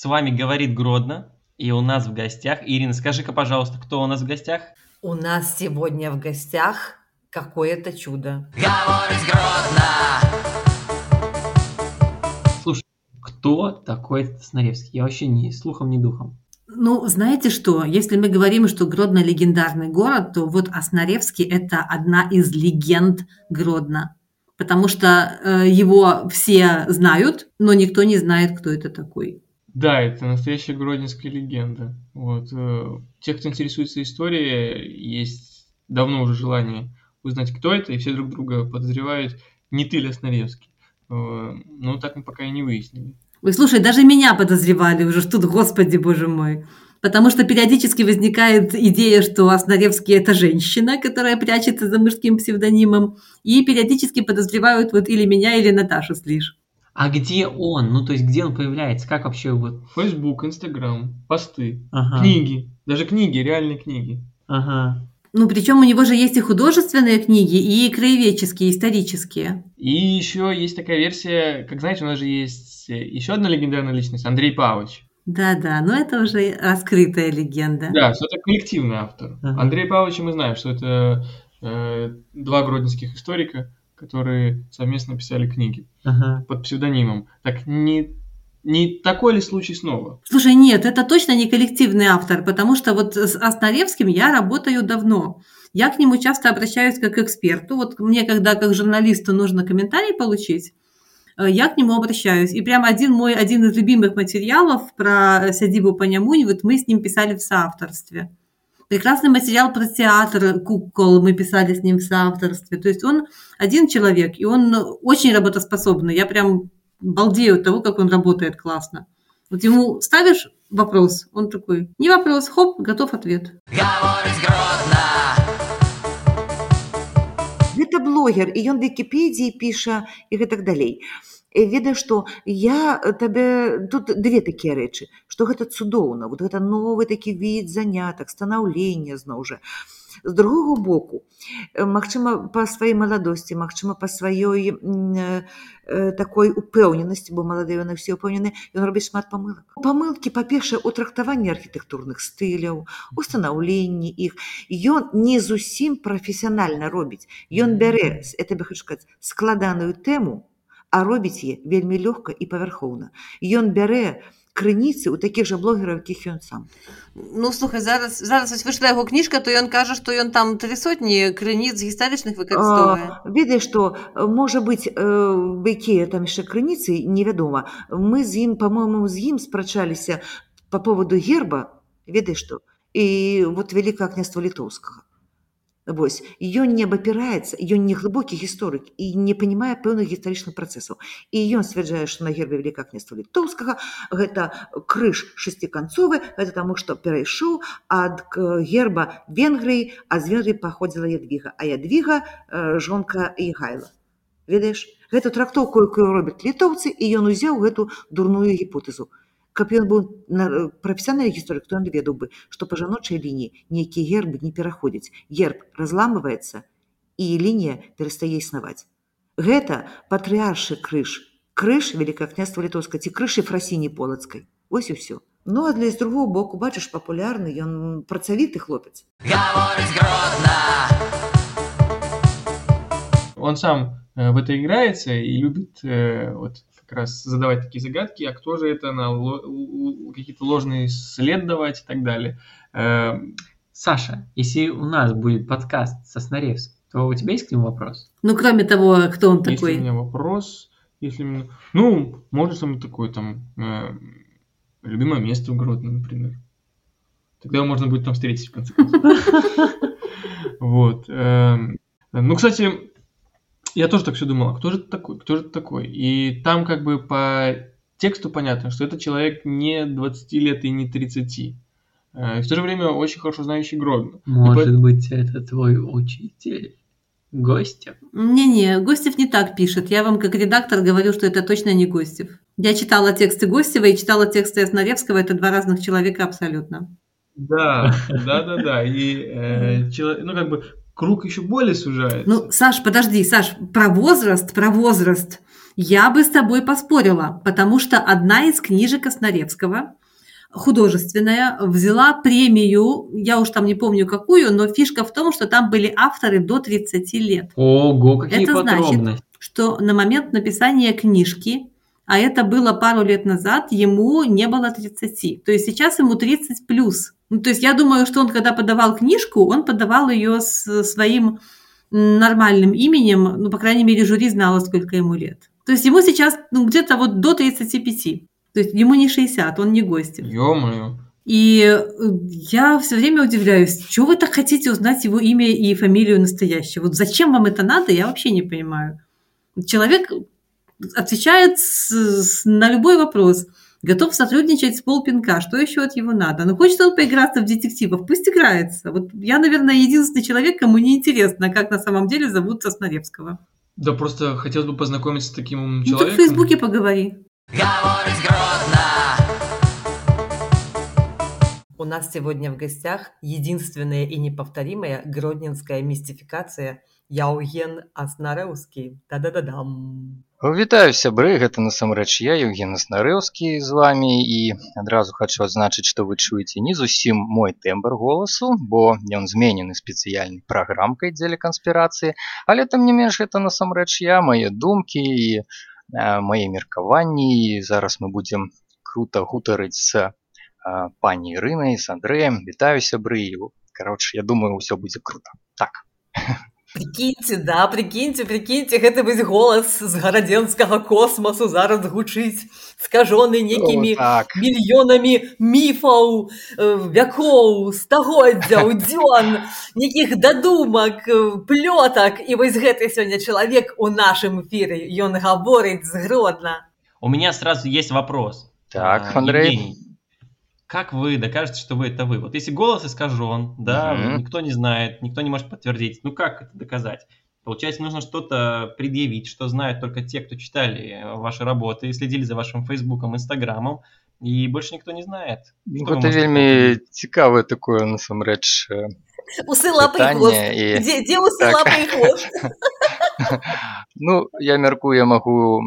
вами говорит Гродно, и у нас в гостях... Ирина, скажи-ка, пожалуйста, кто у нас в гостях? У нас сегодня в гостях какое-то чудо. Говорить Гродно. Слушай, кто такой Соснаевский? Я вообще ни слухом, ни духом. Ну, знаете что, если мы говорим, что Гродно легендарный город, то вот Соснаевский – это одна из легенд Гродно. Потому что его все знают, но никто не знает, кто это такой. Да, это настоящая гродненская легенда. Вот. Те, кто интересуется историей, есть давно уже желание узнать, кто это, и все друг друга подозревают, не ты ли Соснаевский. Но так мы пока и не выяснили. Ой, слушай, даже меня подозревали уже, что тут, господи, боже мой. Потому что периодически возникает идея, что Соснаевский – это женщина, которая прячется за мужским псевдонимом, и периодически подозревают вот или меня, или Наташу Слиш. А где он? Ну, то есть, где он появляется? Как вообще вот? Фейсбук, Инстаграм, посты, Ага. книги. Даже книги, реальные книги. Ага. Ну, причем у него же есть и художественные книги, и краеведческие, исторические. И еще есть такая версия, как знаете, у нас же есть еще одна легендарная личность, Андрей Павлович. Да-да, но это уже раскрытая легенда. Да, что это коллективный автор. Ага. Андрей Павлович, мы знаем, что это два гродненских историка, которые совместно писали книги Ага. под псевдонимом. Так не такой ли случай снова? Слушай, нет, это точно не коллективный автор, потому что вот с Соснаевским я работаю давно. Я к нему часто обращаюсь как к эксперту. Вот мне, когда как журналисту нужно комментарий получить, я к нему обращаюсь. И прям один из любимых материалов про сядибу Панямунь, вот мы с ним писали в соавторстве. Прекрасный материал про театр кукол мы писали с ним в соавторстве. То есть он один человек, и он очень работоспособный. Я прям балдею от того, как он работает классно. Вот ему ставишь вопрос, он такой, не вопрос, хоп, готов ответ. Говорить Гродно. Гэта блогер, і ён Вікіпедіі піша і гэтак далей. Ведаю, што я табе тут две такія рэчы, што гэта цудоўна, вот гэта новы такі від занятак, станаўлення зноў жа. З другога боку, магчыма, па сваёй маладосці, магчыма, па сваёй такой упэўненасці, бо маладыя яны ўсе ўпэўнены, ён робіць шмат памылак. Памылкі, па-першае, у трактаванні архітэктурных стыляў, у станаўленні іх. Ён не зусім прафесіянальна робіць. Ён бярэ, я табе хочу сказаць, складаную тэму, а робіць яе вельмі лёгка і павярхоўна. Ён бярэ крыніцы ў такіх жа блогераў, якіх ён сам. Ну, слухай, зараз ось вийшла його книжка, то він каже, що він там 300 криниць гістаричних використовує. Ведаеш, што, можа быць, якія там яшчэ крыніцы, невядома. Мы з ім, па-моему, з ім спрачаліся па поводу герба, ведаеш што, і вот Великае княства Літоўскага. Вось, ён не абапіраецца, ён не глыбокі гісторык і не панімае пэўных гістарычных працэсаў. І ён сцвярджае, што на гербе Великае княства Літоўскага гэта крыж шасціканцовы, гэта таму, што перайшоў ад герба Венгрыі, а з Венгрыі паходзіла Ядвіга, а Ядвіга жонка Егайла. Ведаеш, гэту трактоўку, якую робяць літоўцы, і ён узяў гэту дурную гіпотэзу. Каб ён быў прафесіянальны гісторык, то ён ведаў бы, што па жаночай лініі нейкія гербы не пераходзяць. Герб разламваецца, і лінія перастае існаваць. Гэта патрыаршы крыж. Крыж Великае княства Літоўскае ці крыж Ефрасіні Полацкай. Вось і ўсё. Ну, а для з другого боку, бачыш, папулярны, ён працавіты хлопец. Говорить Гродно. Он сам в это играется и любит вот как раз задавать такие загадки, а кто же это, какие-то ложные след давать и так далее. Саша, если у нас будет подкаст со Соснаевским, то у тебя есть к нему вопрос? Ну, кроме того, кто он такой? Если у меня вопрос, ну, можно что-нибудь такое, там, любимое место в Гродно, например. Тогда его можно будет там встретить, в конце концов. Вот. Ну, кстати, я тоже так все думал, кто же это такой? И там как бы по тексту понятно, что это человек не 20 лет и не 30. И в то же время очень хорошо знающий Гродно. Может быть, это твой учитель? Гостев? Не-не, Гостев не так пишет. Я вам как редактор говорю, что это точно не Гостев. Я читала тексты Гостева и читала тексты Соснаевского. Это два разных человека абсолютно. Да. И ну, как бы круг еще более сужается. Ну, Саш, подожди, про возраст я бы с тобой поспорила, потому что одна из книжек Соснаевского художественная, взяла премию, я уж там не помню какую, но фишка в том, что там были авторы до 30 лет. Ого, какие Это значит, подробности. что на момент написания книжки, а это было пару лет назад, ему не было 30. То есть сейчас ему 30 плюс. Ну, то есть я думаю, что он, когда подавал книжку, он подавал ее с своим нормальным именем, ну, по крайней мере, жюри знало, сколько ему лет. То есть ему сейчас где-то вот до 35. То есть ему не 60, он не Гостев. Ё-моё. И я все время удивляюсь, что вы так хотите узнать его имя и фамилию настоящую? Вот зачем вам это надо, я вообще не понимаю. Человек отвечает на любой вопрос, готов сотрудничать с полпинка, что еще от него надо? Ну, хочет он поиграться в детективов, пусть играется. Вот я, наверное, единственный человек, кому не интересно, как на самом деле зовут Сосновецкого. Да просто хотелось бы познакомиться с таким Ну, так в человеком. Фейсбуке поговори. Говорить Гродно. У нас сегодня в гостях единственная и неповторимая гродненская мистификация Яўген Аснарэўскі. Та-да-да-дам. Вітаю, сябры, гэта насамрэч я, Яўген Аснарэўскі з вамі, і адразу хачу адзначыць, што вы чуеце не зусім мой тэмбр голасу, бо ён зменены спецыяльнай праграмкай дзеля канспірацыі, але там не менш гэта насамрэч я, мае думкі і мае меркаванні, і зараз мы будзем крута гутарыць з пані Ірынай, з Андрэем. Вітаю, сябры, і, кароче, я думаю, ўсё будзе крута. Так. Прикіньце, гэта вось голас з гарадзенскага космасу зараз гучыць, скажоны некімі мільёнамі міфаў, вякоў, стагоддзяў, дзён, нейкіх дадумак, плётак. І вось гэты сёння чалавек у нашым эфіры, ён гаворыць з Гродна. У меня сразу есть вопрос. Так, Андрей. Евгений, как вы докажете, что вы это вы? Вот если голос искажен, да, никто не знает, никто не может подтвердить, ну как это доказать? Получается, нужно что-то предъявить, что знают только те, кто читали ваши работы, следили за вашим Фейсбуком, Инстаграмом, и больше никто не знает. Гэта вельмі цікавае такое, насамрэч, Усы, лапы і хвост. Дзе усы, лапы і хвост? Ну, я мяркую, я магу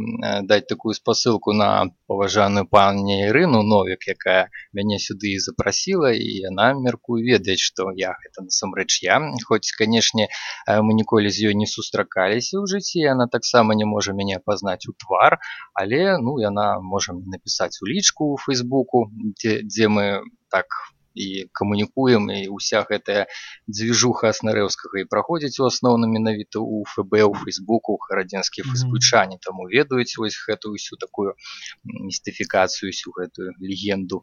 даць такую спасылку на паважаную пані Ірыну Новік, якая мяне сюды запрасіла, і яна, мяркую, ведаць, што я гэта насамрэч я. Хоць, канешне, мы ніколі з ёй не сустракаліся ў жыцці, яна таксама не можа мяне апазнаць у твар, але, ну, яна можа напісаць у лічку ў Фейсбуку, дзе мы так і камунікуем, і ўся гэтая дзвіжуха Аснарэўскага і праходзіць у асноўным менавіта ў ФБ, у Фейсбуку, гарадзенскія фейсбучане таму ведаюць вось гэтую ўсю такую містыфікацыю, усю гэтую легенду.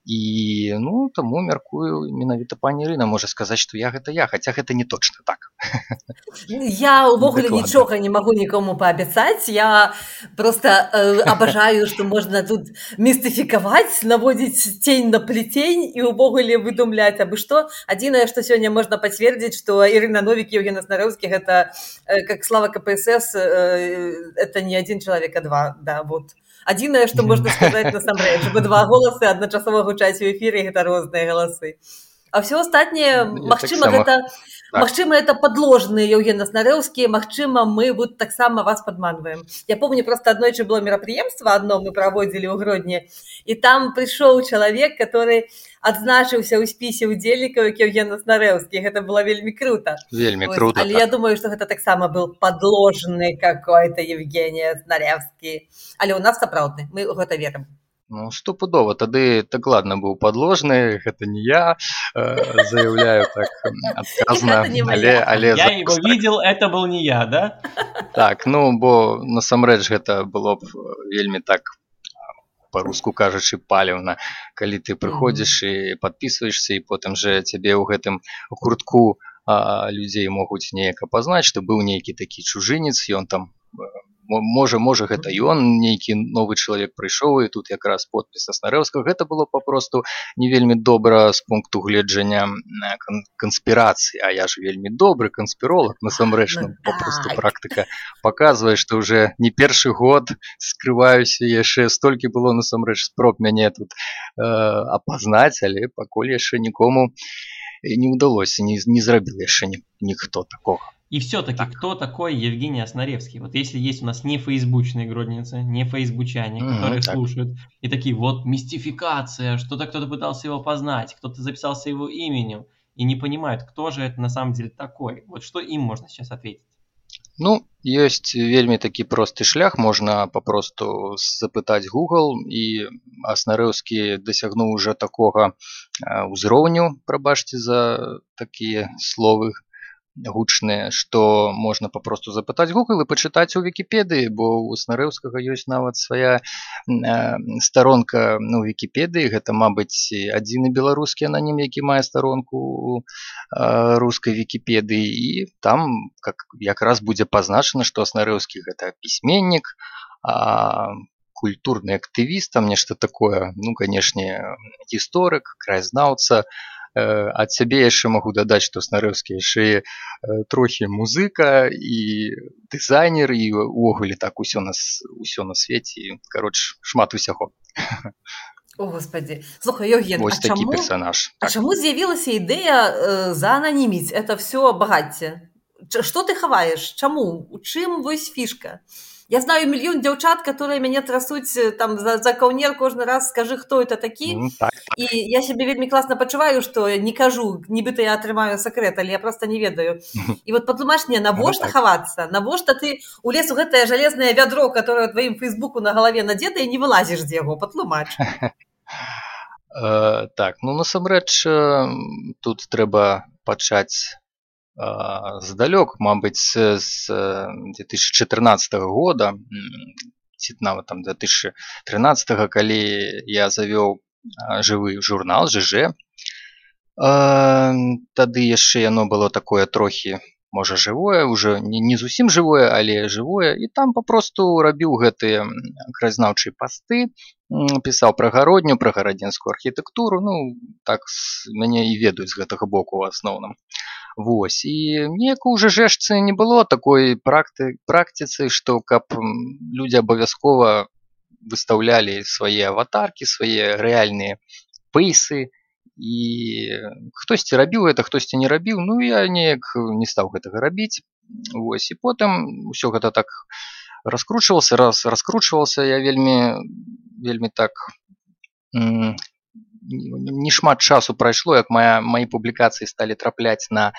І, ну, таму, мяркую, менавіта пані Ірына можа сказаць, што я, хаця гэта не точна так. Я увогуле нічога не магу нікому паабяцаць, я просто абажаю, што можна тут містыфікаваць, наводзіць цень на плетень і увогуле выдумляць абы што. Адзінае, што сёння можна пацвердзіць, што Ірына Новік, Яўген Аснарэўскі, гэта, как слава КПСС, это не один человек, а два, да, вот. Адзінае, што можна сказаць насамрэч, бо два голасы адначасова гучаць у эфіры, гэта розныя галасы. А ўсё астатняе, магчыма, это падложныя Яўген Аснарэўскі, магчыма, мы вот таксама вас падманваем. Я помню, просто аднойчы было мерапрыемства адно мы праводзілі ў Гродні, і там прыйшоў чалавек, который адзначыўся ў спісе ўдзельнікаў, як Яўген Аснарэўскі. Гэта было вельмі крута. Вельмі крута. Але я думаю, што гэта таксама быў падложны какой-то Евгений Аснарэўскі. Але ў нас сапраўдны, мы ў гэта верым. Ну, стопудова, тады так ладно быў падложны, гэта не я, заяўляю так адказна, але... Я его видел, это был не я, да? Так, ну, бо насамрэч гэта было б вельмі так, па-руску кажучы, паліўна, калі ты прыходзіш і падпісваешся, і потым жа цябе ў гэтым гуртку людзей могуць неяк апазнаць, што быў нейкі такі чужынец, ён там... Можа, гэта ён, нейкі новы чалавек прыйшоў, і тут якраз подпіс Аснарэўскага. Гэта было папросту не вельмі добра з пункту гледжання канспірацыі, а я ж вельмі добры канспіролог, насамрэч, папросту практыка паказвае, што ўжо не першы год скрываюся, яшчэ столькі было насамрэч спроб мяне тут апазнаць, але пакуль яшчэ нікому не ўдалося, не зрабіў яшчэ ніхто такога. И все-таки, кто такой Евгений Оснаревский? Вот если есть у нас не фейсбучные гродницы, не фейсбучане, которые так. слушают, и такие, вот мистификация, что-то кто-то пытался его познать, кто-то записался его именем, и не понимают, кто же это на самом деле такой. Вот что им можно сейчас ответить? Ну, ёсць вельмі такі просты шлях, можна папросту запытаць Google, і Аснарэўскі дасягнуў уже такога ўзроўню, прабачце за такія словы гучныя, што можна папросту запытаць Google і пачытаць у Вікіпедыі, бо ў Аснарэўскага ёсць нават свая старонка у Вікіпедыі. Гэта, мабыць, адзіны беларускі ананім, які мае старонку у рускай Вікіпедыі, і там якраз будзе пазначана, што Аснарэўскі гэта пісьменнік, культурны актывіст, там нешта такое, ну, канешне, гісторык, краязнаўца. Ад сябе яшчэ магу дадаць, што Аснарэўскі яшчэ трохі музыка і дызайнер, і увогуле так усё на свеце, кароч, шмат усяго. О, господи. Слухай, Евген, Вось такі персонаж. А чаму з'явілася ідэя заананіміць это все багацце? Што ты хаваеш? Чаму? У чым вось фішка? Я знаю мільён дзяўчат, которые мяне трасуць там за каўнер кожны раз, скажы, хто это такі. Так. І я сябе вельмі класна пачуваю, што не кажу, нібыта я атрымаю сакрэт, але я проста не ведаю. І вот патлумач мне, навошта хавацца? Навошта ты улез у гэтае жалезнае вядро, которое ў тваім фейсбуку на галаве надзета, і не вылазіш з яго? Патлумач. Так, ну насамрэч тут трэба пачаць здалёк, мабыць, з 2014 года, ці нават там 2013, калі я завёў жывы журнал ЖЖ. Тады яшчэ яно было такое трохі, можа, жывое, уже не зусім жывое, але жывое, і там папросту рабіў гэтыя краязнаўчыя пасты, пісаў пра гародню, пра гарадзенскую архітэктуру, ну, так мяне і ведаюць з гэтага боку ў асноўным. Вось, і неяк у ЖЖшцы не было такой практыцы, што каб людзі абавязкова выстаўлялі свае аватаркі, свае рэальныя пейсы, і хтосьці рабіў гэта, хтосьці не рабіў, ну я неяк не стаў гэтага рабіць. Вось, і потым усё гэта так раскручвалася, я вельмі так не шмат часу прайшло, як мои публікацыі сталі трапляць на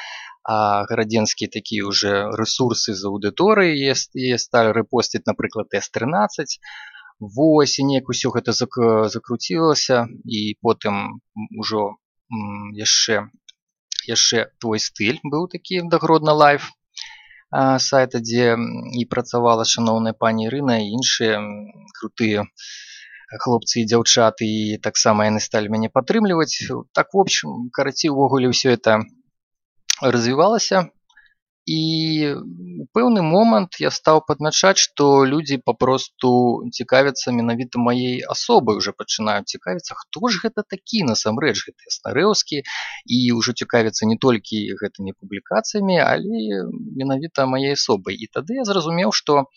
гарадзенскія такія уже ресурсы з аўдыторыі, і сталі рэпосціць, напрыклад, S13. Вось, і неяк усё гэта закруцілася, і потым ужо яшчэ твой стыль быў такі, дагродна лайф сайта, дзе і працавала шаноўная пані Ірына і іншыя крутыя хлопцы і дзяўчаты, і таксама яны сталі мяне падтрымліваць. Так, в общем, карацей, увогуле ўсё это развівалася, і ў пэўны момант я стаў падмячаць, што людзі папросту цікавяцца менавіта маей асобай, уже пачынаюць цікавіцца, хто ж гэта такі насамрэч, гэты Аснарэўскі, і ўжо цікавяцца не толькі гэтымі публікацыямі, але менавіта маей асобай. І тады я зразумеў, што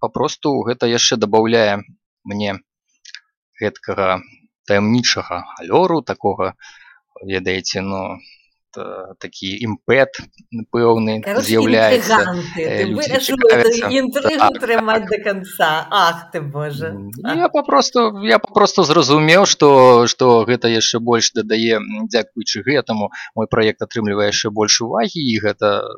папросту гэта яшчэ дабаўляе мне гэткага таямнічага алёру, такога, ведаеце, такі імпэт пэўны з'яўляецца. Ты вырашыў эту інтрыгу трымаць да канца. Ах ты, Боже. Я папросту зразумеў, што гэта яшчэ больш дадае, дзякуючы гэтаму, мой праект атрымлівае яшчэ больш увагі, і гэта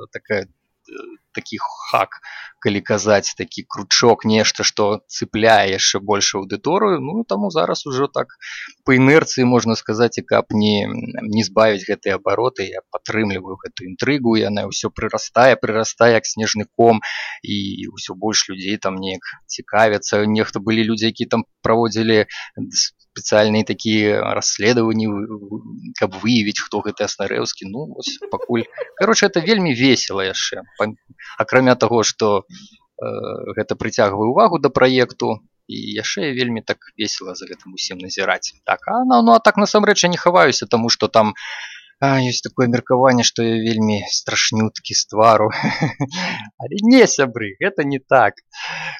такі хак, калі казаць, такі кручок, нешта, што цыпляе яшчэ больш аўдыторыю. Ну, таму зараз ужо так па інерцыі, можна сказаць, і каб не збавіць гэтыя абароты, я падтрымліваю гэту інтрыгу, яна ўсё прырастае, як снежны ком, і ўсё больш людзей там неяк цікавяцца. Нехта былі людзі, які там праводзілі спецыяльныя такія расследаванні, каб выявіць, хто гэты Аснарэўскі. Ну, вось, пакуль. Кароче, это вельмі весела яшчэ. Акрамя таго, што гэта прыцягвае ўвагу да праекту, і яшчэ вельмі так весела за гэтым усім назіраць. Так, а так насамрэч я не хаваюся, таму што там ёсць такое меркаванне, што я вельмі страшнюткі з твару. Але не, сябры, гэта не так.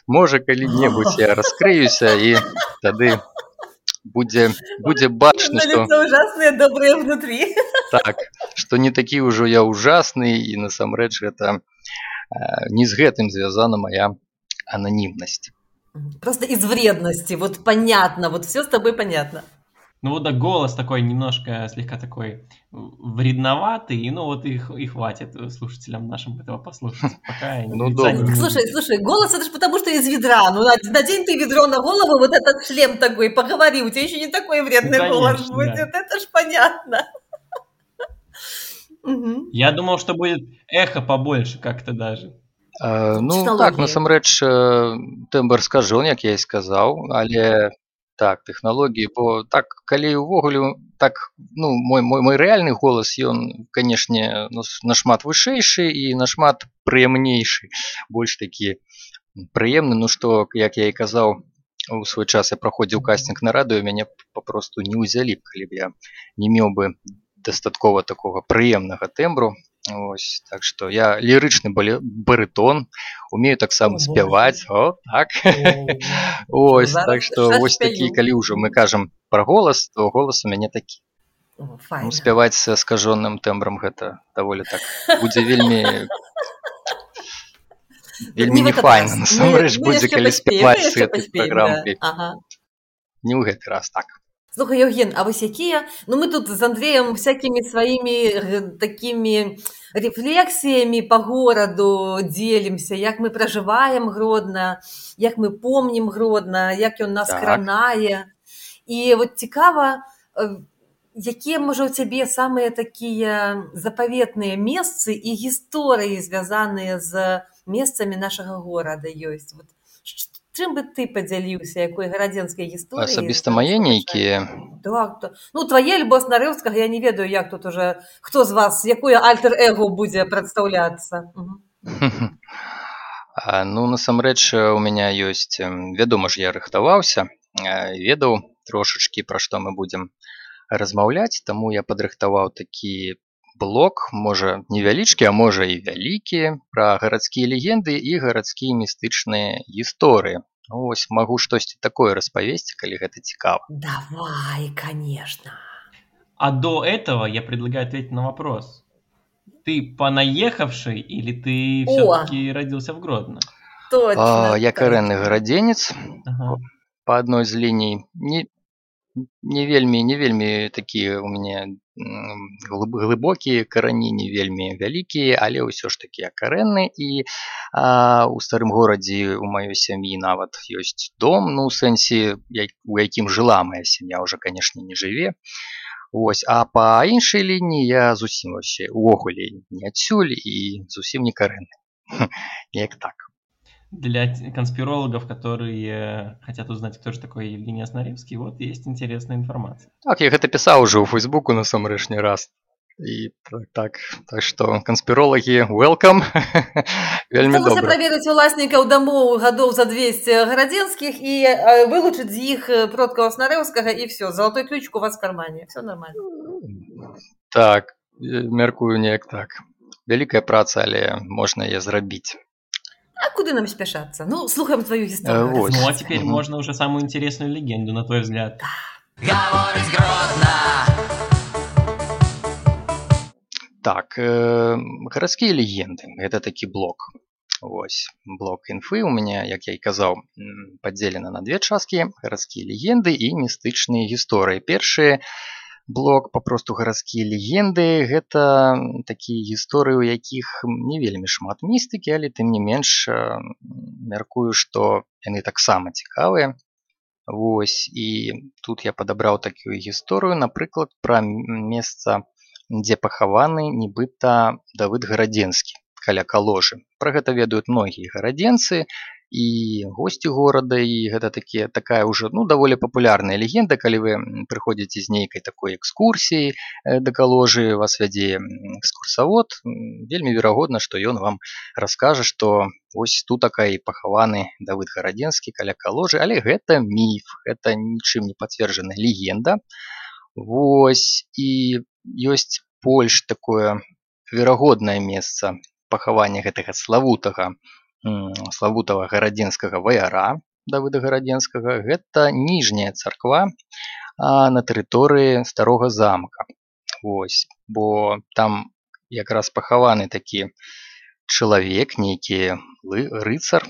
Можа, калі-небудзь я раскрыюся, і тады будзе бачна, На што лицо ужасные, добрые внутри. так, што не такі ўжо я ужасны, і насамрэч гэта не з гэтым звязана моя ананімнасць. Просто из вредности. Вот понятно, вот все с тобой понятно. Ну вот да, голос такой немножко, слегка такой вредноватый, и ну вот и хватит слушателям нашим этого послушать. Пока Ну, лица добро. не Слушай, голос это же потому, что из ведра. Ну, надень ты ведро на голову, вот этот шлем такой, поговори, у тебя еще не такой вредный Ну, голос конечно, будет. да. Это ж понятно. Мгм. Я думал, что будет эхо побольше как-то даже. Ну так, Техналогії. насамрэч тэмбр скажон, як я і сказаў, але так, тэхналогіі, бо так, калі ўвогуле так, ну, мой рэальны голас, ён, канешне, нашмат вышэйшы і нашмат прыемнейшы, больш такі прыемны, ну што, як я і казаў, у свой час я праходзіў кастинг на радыё, мяне папросту не ўзялі б, калі б я не меў бы дастаткова такога прыемнага тэмбру. Ось, так што я лірычны барытон, умею таксама О, спяваць, о, так. Ось, так што вось такі, калі ўжо мы кажам пра голас, то голас у мяне такі. О, Ну, файна. спяваць з скажоным тэмбрам гэта даволі так будзе вельмі Не в не этот файна, раз. насамрэч Мы будзе, яшчэ калі паспеем, спяваць мы з яшчэ гэтай паспеем, праграмкі. да. Ага. Не ў гэты раз, так. Слухай, Евген, а вось якія... Ну, мы тут з Андреем всякими своими такими рефлексиями по гораду делимся, як мы проживаем Гродно, як мы помним Гродно, як ён нас Так. кранае. І вот цікава, якія, можа, у цябе самыя такія запаветныя месцы і гісторыі, звязаныя з месцамі нашага горада ёсць? Вот, чым бы ты падзяліўся, якой гарадзенскай гісторыі? Асабіста мае нейкія? Так. Ну, твае альбо Снарыўскага, я не ведаю, як тут уже, хто з вас, якое альтер-эго будзе прадстаўляцца. Ну, насамрэч, у мяне ёсць, вядома ж, я рыхтаваўся, ведаў трошачкі, пра што мы будзем размаўляць, таму я падрыхтаваў такі блок, можа, невялічкі, а можа і вялікі, пра гарадскія легенды і гарадскія містычныя гісторыі. Вось, магу штосьці такое распавесці, калі гэта цікава. Давай, конечно. А до этого я предлагаю ответить на вопрос. Ты понаехавший или ты все-таки родился в Гродно? Точно. Я карэнны гарадзенец, Ага. па адной з ліній. Не вельмі такія у мяне глыбокія карані, не вельмі вялікія, але ўсё ж такі я карэнны. І у старым горадзе у маёй сям'і нават ёсць дом, ну, у сэнсе, у якім жыла моя сям'я, уже, канешне, не жыве. Ось, а па іншай лініі я зусім вообще увогуле не адсюль і зусім не карэнны. Неяк так. Для конспирологов, которые хотят узнать, кто же такой Евгений Снаревский, вот есть интересная информация. Так, я гэта пісаў уже ў Фейсбуку насамрэч не раз. І так што канспіролагі, welcome. Вельмі Сталося добра. праверыць уласнікаў дамоў гадоў за 200 гарадзенскіх і вылучыць з іх продкаў Снарыўскага, і все, золотой ключик у вас в кармане, все нормально. Так, мяркую неяк так. Вялікая праца, але можна яе зрабіць. А куды нам спяшацца? Ну, слухаем твою гісторыю. Вот. Ну, а теперь можно уже самую интересную легенду, на твой взгляд. Говорить Гродно. Так, гарадскія легенды. Гэта такі блок. Вось, блок інфы у мяне, як я і казаў, падзелена на две часткі: гарадскія легенды і містычныя гісторыі. Першы блок, папросту гарадскія легенды, гэта такія гісторыі, у якіх не вельмі шмат містыкі, але тым не менш мяркую, што яны таксама цікавыя. Вось, і тут я падабраў такую гісторыю, напрыклад, пра месца, дзе пахаваны нібыта Давыд Гарадзенскі, каля Каложы. Пра гэта ведаюць многія гарадзенцы і госці горада, і гэта такая ўжо, ну, даволі папулярная легенда, калі вы прыходзіце з нейкай такой экскурсіі да Каложы, вас вядзе экскурсавод, вельмі верагодна, што ён вам раскажа, што вось тут такая пахаваны Давыд Гарадзенскі каля Каложы, але гэта міф, гэта нічым не пацверджаная легенда. Вось, і ёсць больш такое верагоднае месца пахавання гэтага славутага гарадзенскага ваяра, Давыда Гарадзенскага, гэта ніжняя царква на тэрыторыі старога замка. Вось, бо там якраз пахаваны такі чалавек, нейкі рыцар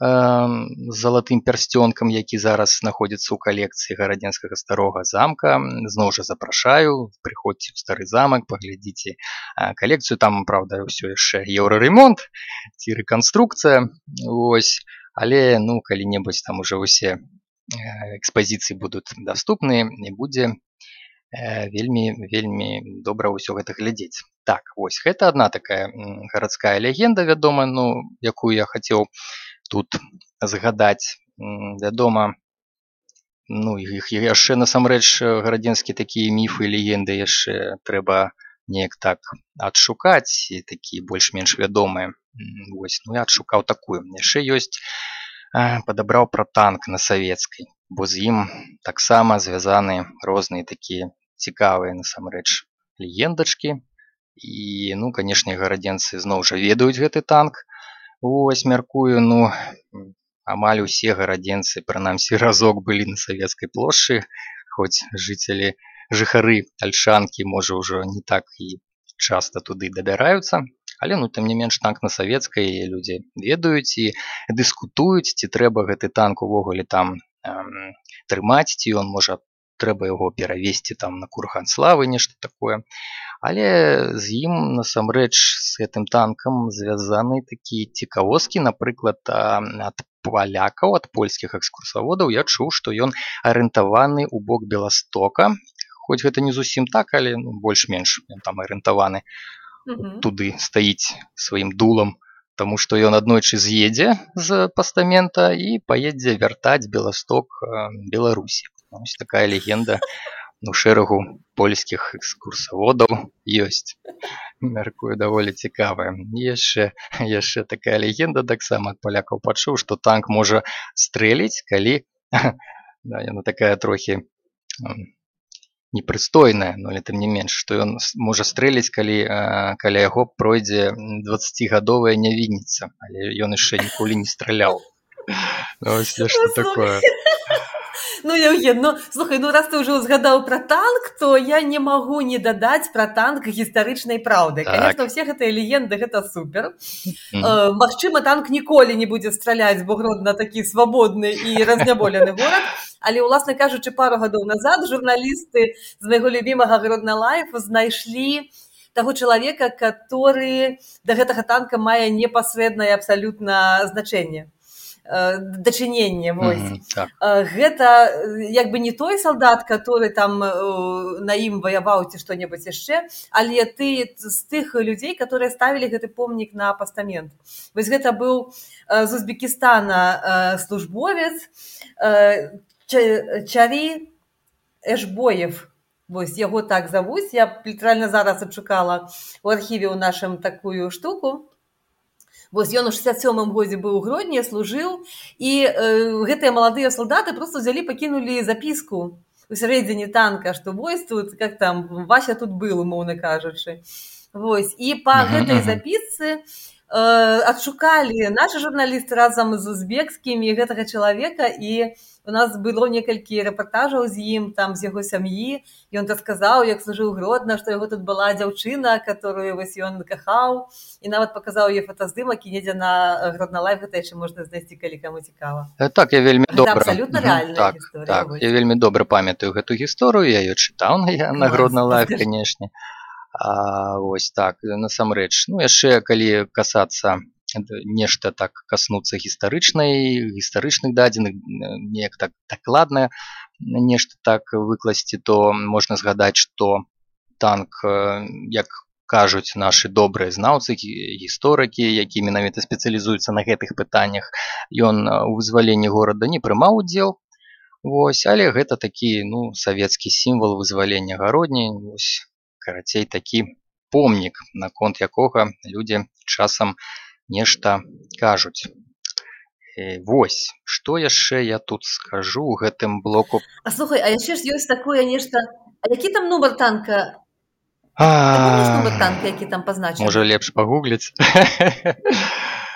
з залатым пярсцёнкам, які зараз знаходзіцца ў калекцыі гарадзенскага старога замка. Зноў жа запрашаю, прыходзьце ў стары замак, паглядзіце калекцыю. Там, правда, ўсё яшчэ еўраремонт ці рэканструкцыя. Вось, але ну калі-небудзь там уже ўсе экспазіцыі будуць даступныя і будзе вельмі добра ўсё гэта глядзець. Так, вось, гэта адна такая гарадская легенда, вядома, ну, якую я хацеў тут згадаць. Вядома, ну, іх яшчэ насамрэч гарадзенскія такія міфы і легенды яшчэ трэба неяк так адшукаць, і такія больш-менш вядомыя. Вось, ну, я адшукаў такую. Яшчэ ёсць, падабраў пра танк на савецкай, бо з ім таксама звязаны розныя такія цікавыя насамрэч легендачкі. І, ну, канешне, гарадзенцы зноў жа ведаюць гэты танк. Вось, мяркую, ну, амаль усе гарадзенцы, прынамсі, разок былі на Савецкай плошчы, хоць жыхары Альшанкі, можа, ўжо не так і часта туды дабіраюцца. Але, ну, тым не менш, танк на Савецкай людзі ведаюць і дыскутуюць, ці трэба гэты танк увогуле там трымаць, ці ён, можа, трэба яго перавесці там на курган славы, нешта такое. Але з ім, насамрэч, з гэтым танкам звязаны такія цікавосткі. Напрыклад, ад палякаў, ад польскіх экскурсаводаў я чуў, што ён арыентаваны ў бок Беластока. Хоць гэта не зусім так, але ну, больш-менш ён там арыентаваны. Туды стаіць сваім дулам, таму што ён аднойчы з'едзе з пастамента і паедзе вяртаць Беласток Беларусі. Ось такая легенда у шэрагу польскіх экскурсаводаў ёсць. Мяркую, даволі цікавая. Яшчэ такая легенда таксама ад палякаў пачуў, што танк можа стрэліць, калі яна такая трохі непрыстойная, але тым не менш, што ён можа стрэліць, калі каля яго пройдзе 20гадовая нявінніца, але ён яшчэ ніколі не страляў. Ось нешта такое. Ну, Евген, ну, слухай, ну, раз ты уже згадаў пра танк, то я не магу не дадаць пра танк гістарычнай праўды. Так. Конечно, все гэтыя легенды, гэта супер. Магчыма, танк ніколі не будзе страляць, бо Гродна такі свабодны і разняволены горад. Але, уласна кажучы, пару гадоў назад журналісты з майго любімага Гродна Лайф знайшлі таго чалавека, который да гэтага танка мае непасрэднае абсалютна значэнне. Дачыненне, вось. Так. Гэта як бы не той салдат, который там на ім ваяваў ці што-небудзь яшчэ, але ты з тых людзей, которые ставілі гэты помнік на пастамент. Вось гэта быў з Узбекістана службовец Чари Эшбоев. Вось яго так завуць. Я літаральна зараз адшукала ў архіве ў нашым такую штуку. Вось ён у 67-м годзе быў у Гродні, служыў, і гэтыя маладыя салдаты проста взялі, пакінулі запіску у сярэдзіне танка, што вось тут, как там, Вася тут был, умоўна кажучы. Вось, і па гэтай запісцы адшукалі нашы журналісты разам з узбекскімі гэтага чалавека, і у нас было некалькі рэпартажаў з ім, там, з яго сям'і. Ён расказаў, як служыў Гродна, што яго тут была дзяўчына, которую вось ён кахаў, і нават паказаў яе фотаздымак, і недзе на Гродна Лайф гэта яшчэ можна знайсці, калі каму цікава. Так, я вельмі добра. Гэта абсалютна рэальная гісторыя. Так, я вельмі добра памятаю гэту гісторыю, я ее чытаў на Гродна Лайф, канешне. Вось так, насамрэч. Ну, яшчэ, калі касацца нешта так каснуцца гістарычных дадзеных, неяк так дакладна нешта так выкласці, то можна згадаць, што танк, як кажуць нашы добрыя знаўцы, гісторыкі, які менавіта спецыялізуюцца на гэтых пытаннях, ён у вызваленні горада не прымаў удзел. Вось, але гэта такі, ну, савецкі сімвал вызвалення Гародні, вось, карацей, такі помнік, наконт якога людзі часам нешта кажуць. Вось, што яшчэ я тут скажу ў гэтым блоку. Слухай, а яшчэ ж ёсць такое нешта... А які там нумар танка? Ты помніш нумар танка, які там пазначаны? Можа, лепш пагугліць.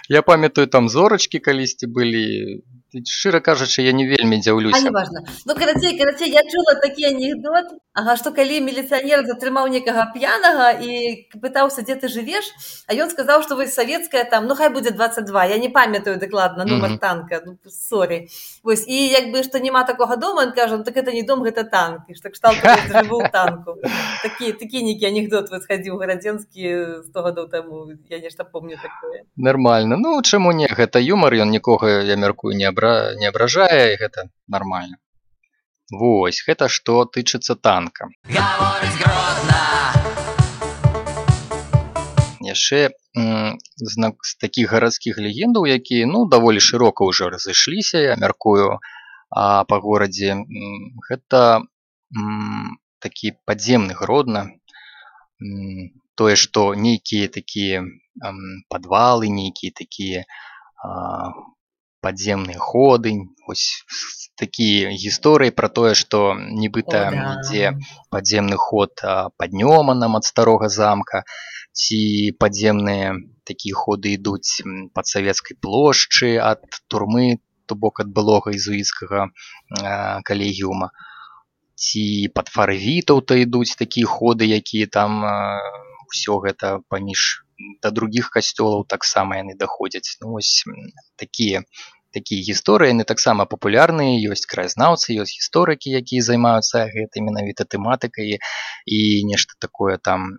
Я памятаю, там зорачкі калісьці былі, Шчыра кажучы, я не вельмі А дзіўлюся. неважно. Ну, карацей, я чула такі анекдот, што калі міліцыянер затрымаў некага п'янага і пытаўся, дзе ты жывеш, а ён сказаў, што вось савецкая там, ну хай будзе 22, я не памятаю дакладна нумар танка, ну сорі. Вось, і як бы, што няма такога дома, ён кажа, так это не дом, гэта танк, і што кшталту жыву ў танку. Такі нейкі анекдот вось хадзіў гарадзенскі 100 гадоў таму, я нешта помню такое. Нармальна. Ну, чаму не? Гэта юмар, ён нікога, я мяркую, не абражае, і гэта нармальна. Вось, гэта што тычыцца танка. Гаворыць Гродна. Яшчэ з такіх гарадскіх легендаў, якія, ну, даволі шырока ўжо разышліся, я мяркую, па горадзе, гэта такі падземны Гродна. Тое, што нейкія такія падвалы, нейкія такія падземныя ходы, вось такія гісторыі пра тое, што нібыта ідзе падземны ход пад Нёманам ад старога замка, ці падземныя такія ходы ідуць пад Савецкай плошчы ад турмы, то бок ад былога езуіцкага калегіума, ці пад Фарвітаў-то ідуць такія ходы, якія там ўсё гэта паміж да другіх касцёлаў таксама яны даходзяць. Ну, вось такія гісторыі, яны таксама папулярныя, ёсць краязнаўцы, ёсць гісторыкі, якія займаюцца гэтай менавіта тэматыкай і нешта такое там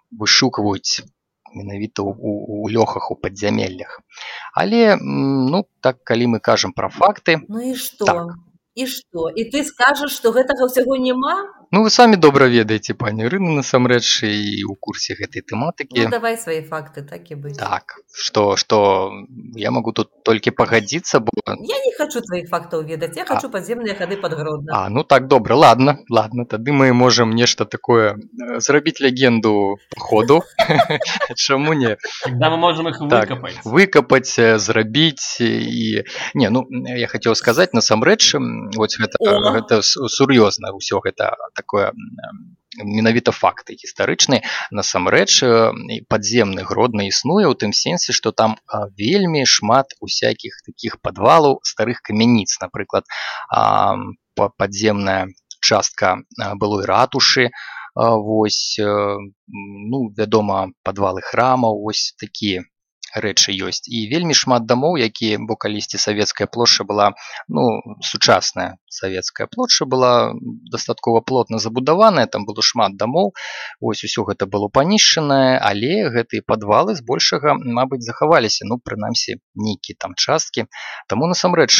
вышукваюць менавіта ў лёхах, у падзямеллях. Але, ну, так, калі мы кажам пра факты... Ну і што? Так. І што? І ты скажаш, што гэтага ўсяго няма? Ну, вы самі добра ведаеце, пані Ірына, насамрэч, і ў курсе гэтай тэматыкі. Ну, давай свае факты, так і быць. Так, што я магу тут толькі пагадзіцца, бо... Я не хочу тваіх фактаў ведаць, я хочу падземныя хады пад Гродна. Ну так, добра, ладно, тады мы можам нешта такое зрабіць легенду походу. Чаму не? Тогда мы можем их выкопать. Выкопаць, зрабіць і... Не, ну, я хацеў сказаць, насамрэч, вось гэта сур'ёзна, ўсё гэта такое менавіта факты гістарычныя. Насамрэч, падземны Гродна існуе ў тым сенсе, што там вельмі шмат усякіх такіх падвалаў старых камяніц. Напрыклад, падземная частка былой ратушы, вось, ну, вядома, падвалы храмаў, вось такія рэчы ёсць. І вельмі шмат дамоў, якія, бо калісьці Савецкая плошча была, ну, сучасная Савецкая плошча была дастаткова плотна забудаваная, там было шмат дамоў, вось усё гэта было панішчанае, але гэтыя падвалы збольшага, мабыць, захаваліся, ну, прынамсі, нейкія там часткі. Таму, насамрэч,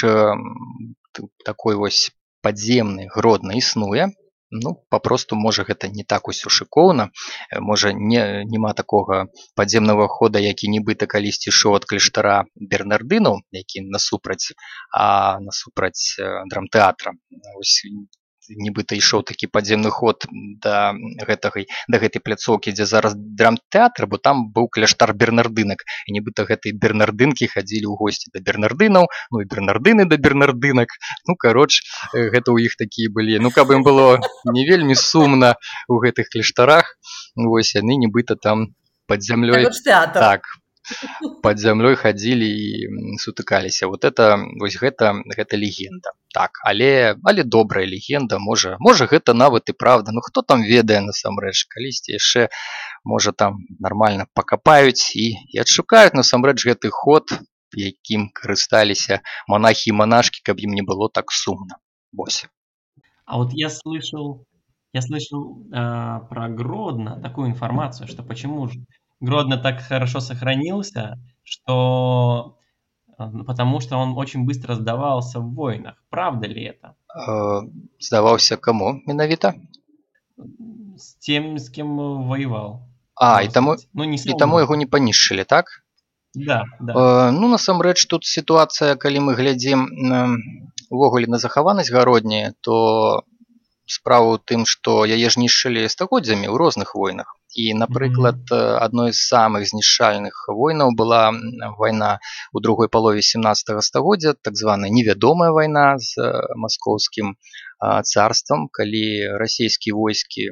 такой вось падземны Гродна існуе. Ну, папросту, можа, гэта не так усё шыкоўна, можа, няма такога падземнага хода, які нібыта калісьці ішоў ад кляштара Бернардынаў, які насупраць драмтэатра. Вось нібыта ішоў такі падземны ход да гэтай пляцоўкі, дзе зараз драмтэатр, бо там быў кляштар бернардынак, і нібыта гэтыя бернардынкі хадзілі ў госці да бернардынаў, ну і бернардыны да бернардынак. Ну, кароч, гэта ў іх такія былі. Ну, каб ім было не вельмі сумна ў гэтых кляштарах, вось яны нібыта там пад зямлёй... Так, пад зямлёй хадзілі і сутыкаліся. Вот гэта легенда. Так, але добрая легенда, можа гэта нават і правда. Ну, хто там ведае насамрэч? Калісьці яшчэ, можа, там нармальна пакапаюць і адшукаюць насамрэч гэты ход, якім карысталіся монахі і монашкі, каб ім не было так сумна. Вось. А вот я слышал про Гродно такую информацию, что почему же Гродно так хорошо сохранился, что потому что он очень быстро сдавался в войнах. Правда ли это? Сдавался кому менавіта? С тем, с кем воевал. І таму яго не панішчылі, так? Да. Ну, насамрэч, тут сітуацыя, калі мы глядзім увогуле на захаванасць Гародні, то справа ў тым, што яе ж нішчылі стагоддзямі ў розных войнах. І, напрыклад, адной з самых знішчальных войнаў была вайна ў другой палове 17 стагоддзя, так званая невядомая вайна з маскоўскім царствам, калі расійскія войскі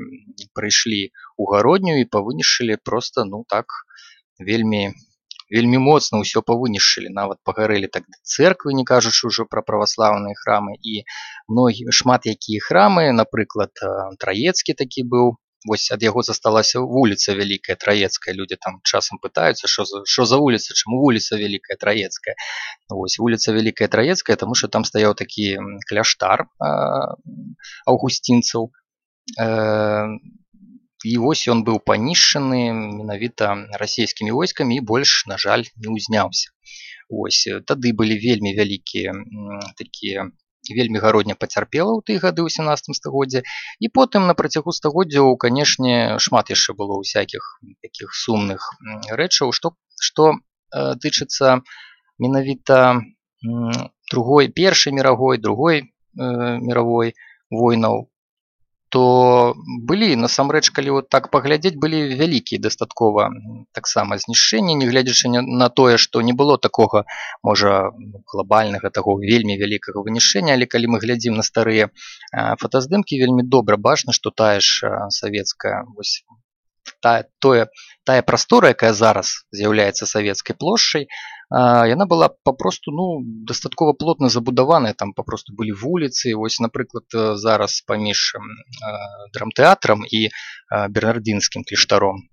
прыйшлі ў Гародню і павынішчылі проста, ну так, вельмі вельмі моцна ўсё павынішчылі, нават пагарэлі так цэрквы, не кажучы ўжо пра праваслаўныя храмы, і шмат якія храмы, напрыклад, Траецкі такі быў, вось ад яго засталася вуліца Вялікая Траецкая. Людзі там часам пытаюцца, што за вуліца, чаму вуліца Вялікая Траецкая. Вось вуліца Вялікая Траецкая, таму што там стаяў такі кляштар аўгусцінцаў. І вось ён быў панішчаны менавіта расійскімі войскамі і больш, на жаль, не ўзняўся. Вось тады былі вельмі вялікія такія, вельмі гародня пацярпела ў тыя гады ў 17 стагоддзі, і потым на працягу стагоддзяў, канешне, шмат яшчэ было ўсякіх такіх сумных рэчаў, што тычыцца менавіта першай міровой, другой міровой войнаў, то былі, насамрэч, калі вот так паглядзець, былі вялікія дастаткова таксама знішчэнні, нягледзячы на тое, што не было такога, можа, глобальнага, таго вельмі вялікага вынішчэння, але калі мы глядзім на старыя фотаздымкі, вельмі добра бачна, што тая ж савецкая, вось тая прастора, якая зараз з'яўляецца савецкай плошчай, яна была папросту дастаткова плотна забудаваная, там папросту былі вуліцы. Вось, напрыклад, зараз паміж драмтэатрам і бернардзінскім кляштаром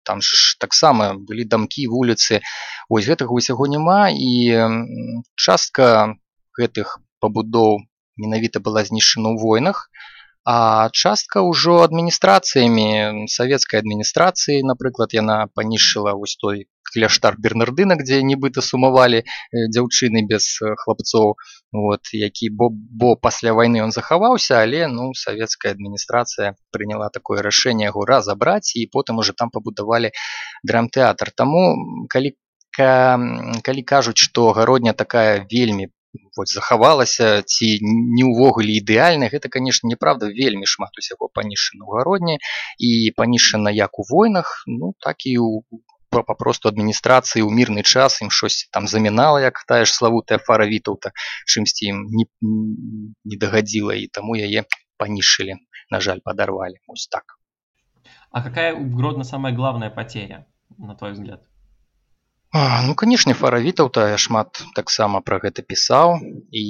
там ж таксама былі дамкі, вуліцы. Вось гэтага ўсяго няма, і частка гэтых пабудоў менавіта была знішчана ў войнах, а частка ўжо адміністрацыямі, савецкай адміністрацыі, напрыклад, яна панішчыла вось той кляштар Бернардына, дзе нібыта сумавалі дзяўчыны без хлапцоў, бо пасля вайны ён захаваўся, але савецкая адміністрацыя прыняла такое рашэнне яго разабраць, і потым уже там пабудавалі драмтэатр. Таму, калі кажуць, што гародня такая вельмі захавалася ці не ўвогуле ідэальна, гэта, канешне, неправда. Вельмі шмат усяго панішчана ў гародні, і панішчана як у войнах, так і папросту адміністрацыі ў мірны час ім щось там замінала, як тая ж славутая Фара Вітаўта, чымсьці ім не дагадзіла, і таму яе панішчылі, на жаль, падарвалі. Вось так. А какая у Гродно самая главная потеря, на твой взгляд? Канешне, Фара Вітаўта шмат таксама пра гэта пісаў, і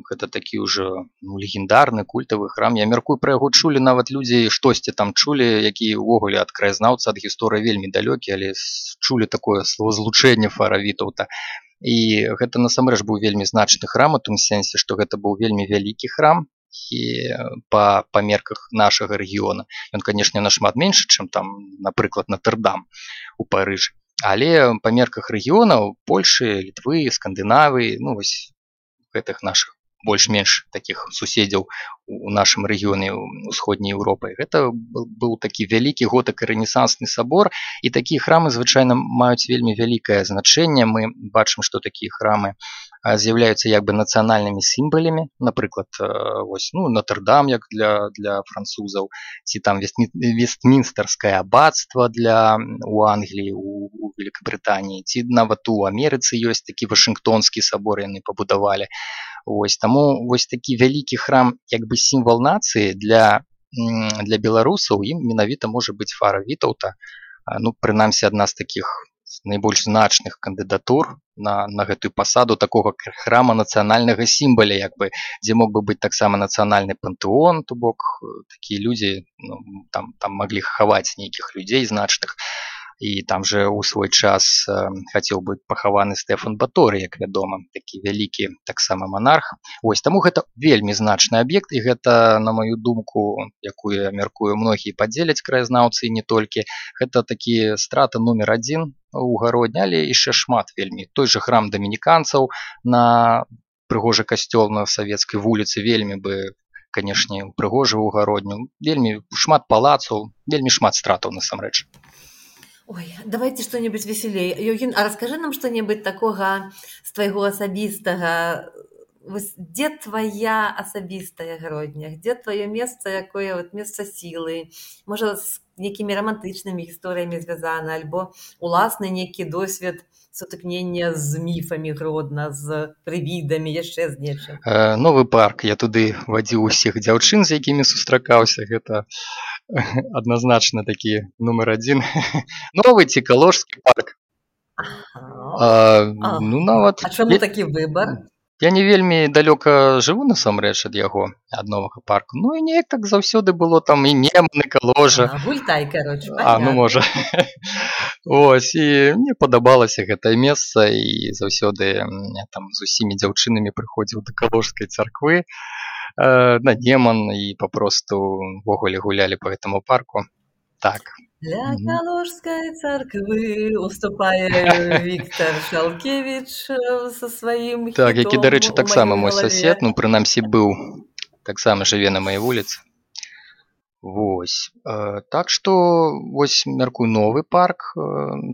гэта такі ўжо легендарны культавы храм. Я мяркую, пра яго чулі нават людзі, штосьці там чулі, якія ўвогуле ад краязнаўца, ад гісторыі вельмі далёкі, але чулі такое словазлучэнне Фара Вітаўта. І гэта насамрэч быў вельмі значны храм, у тым сэнсе, што гэта быў вельмі вялікі храм, і па мерках нашага рэгіёна. Ён, канешне, нашмат меншы, чым там, напрыклад, Нотр-Дам у Парыжы. Але па мерках рэгіонаў Польшы, Літвы, Скандынавіі, вось гэтых нашых больш-менш такіх суседзяў у нашым рэгіёне ўсходняй Еўропы, гэта быў такі вялікі готык і рэнесансны сабор, і такія храмы звычайна маюць вельмі вялікае значэнне. Мы бачым, што такія храмы з'яўляюцца як бы нацыянальнымі сімвалямі, напрыклад, вось, Нотр-Дам як для французаў, ці там Вестмінстэрскае аббацтва у Англіі, у Великабрытаніі, ці нават у Амерыцы ёсць такі Вашынгтонскі сабор, яны пабудавалі. Вось, таму вось такі вялікі храм, як бы сімвал нацыі для беларусаў, ім менавіта можа быць Фара Вітаўта. Прынамсі, адна з такіх найбольш значных кандыдатур на гэтую пасаду такога храма нацыянальнага сімваля, як бы, дзе мог бы быць таксама нацыянальны пантэон, то бок такія людзі там маглі хаваць нейкіх людзей значных. І там же ў свой час хацеў быць пахаваны Стэфан Баторый, як вядома, такі вялікі таксама монарх. Вось, таму гэта вельмі значны аб'ект, і гэта, на маю думку, якую я мяркую, многія падзеляць краязнаўцы, і не толькі, гэта такі страта нумер 1 у Гародні, але яшчэ шмат вельмі. Той же храм дамініканцаў на прыгожы касцёл на Савецкай вуліцы вельмі бы, канешне, прыгожы ў Гародню. Вельмі шмат палацаў, вельмі шмат стратаў насамрэч. Ой, давайте что-нибудь веселее. Евген, а расскажи нам что-нибудь такого с твоего особистого. Где твоя особистая Гродня? Где твое место, якое место силы? Может, с некими романтичными историями связано, альбо уласный некий досвід сутыкнення з міфамі Гродна, з прывідамі, яшчэ з нечым. Новы парк. Я туды вадзіў усіх дзяўчын, з якімі сустракаўся. Гэта адназначна такі нумер 1. Новы ці Калужскі парк. Ну, нават... А чаму такі выбар? Я не вельмі далёка жыву насамрэч ад яго, ад новага парку. Ну і неяк так заўсёды было там і Неман, і Каложа. Гультай, короче, Ну понятно. можа. Вось, і мне падабалася гэтае месца, і заўсёды я там з усімі дзяўчынамі прыходзіў да Каложскай царквы, на Неман, і папросту ўвогуле гулялі па гэтаму парку. Так. Для Каложской церкви уступає Віктор Шалкевич со своїм хітом. Так, які, до речі, так само мой голові. сосед, ну, прынамсі, быў, так само жыве на маёй вуліцы. Вось. Так што, вось, мяркую, новы парк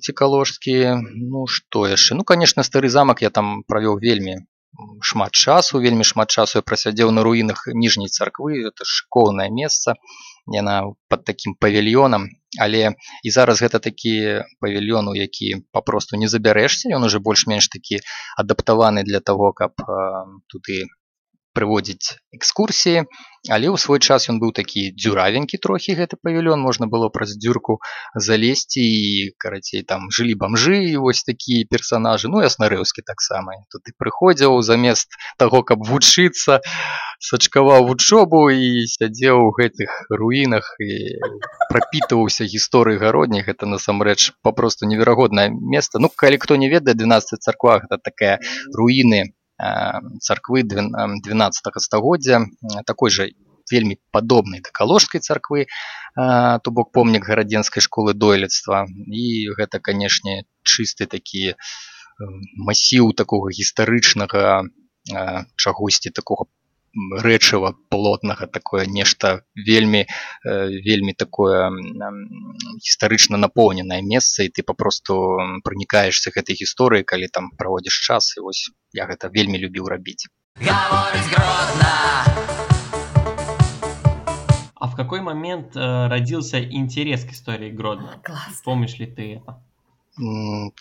цікаложскі. Ну, што яшчэ? Ну, конечно, стары замак я там правёў вельмі шмат часу я прасядзеў на руінах ніжняй царквы, это школьнае месца, яна пад такім павільёнам, але і зараз гэта такі павільён, у які папросту не забярэшся, ён уже больш-менш такі адаптаваны для таго, каб туды прыводзіць экскурсіі, але ў свой час ён быў такі дзюравенькі трохі, гэты павільён, можна было праз дзюрку залезці, і, карацей, там жылі бамжы, і вось такія персанажы, ну і Аснарэўскі таксама. Туды прыходзіў замест таго, каб вучыцца, сачкаваў вучобу і сядзеў у гэтых руінах і прапітваўся гісторыяй гародняй. Гэта насамрэч папросту неверагоднае месца. Ну, калі хто не ведае, 12 царква гэта такая руіны царквы 12 стагоддзя, такой жа вельмі падобнай да Каложскай царквы, то бок помнік гарадзенскай школы дойлідства. І гэта, канешне, чысты такі масіў такога гістарычнага чагосьці, такога рэчыва плотнага, такое нешта вельмі такое гістарычна напоўненае месца, і ты папросту пранікаешся гэтай гісторыяй, калі там праводзіш час, і вось я гэта вельмі любіў рабіць. Говорить Гродно. А в какой момент родился интерес к истории Гродно? Класс. Помнишь ли ты это?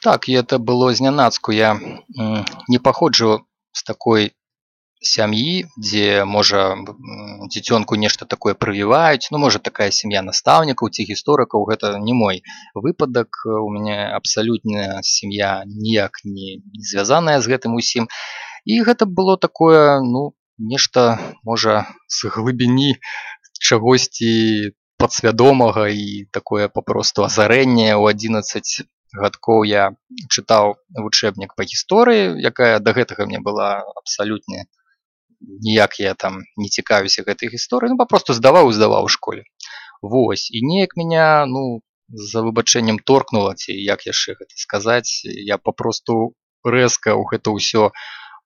Так, і это было знянацку. Я не паходжу з такой сям'і, дзе, можа, дзіцёнку нешта такое прывіваюць. Ну, можа, такая сям'я настаўнікаў ці гісторыкаў. Гэта не мой выпадак. У мяне абсалютна сям'я ніяк не звязаная з гэтым усім. І гэта было такое, ну, нешта, можа, з глыбіні чагосьці падсвядомага, і такое папросту азарэнне. У 11 гадкоў я чытаў вучэбнік па гісторыі, якая да гэтага мне была абсалютна ніяк я там не цікавіўся гэтай гісторыі, ну, папросту здаваў у школе. Вось, і неяк меня, ну, за выбачэннем торкнула, ці як яшчэ гэта сказаць, я папросту рэзка ў гэта ўсё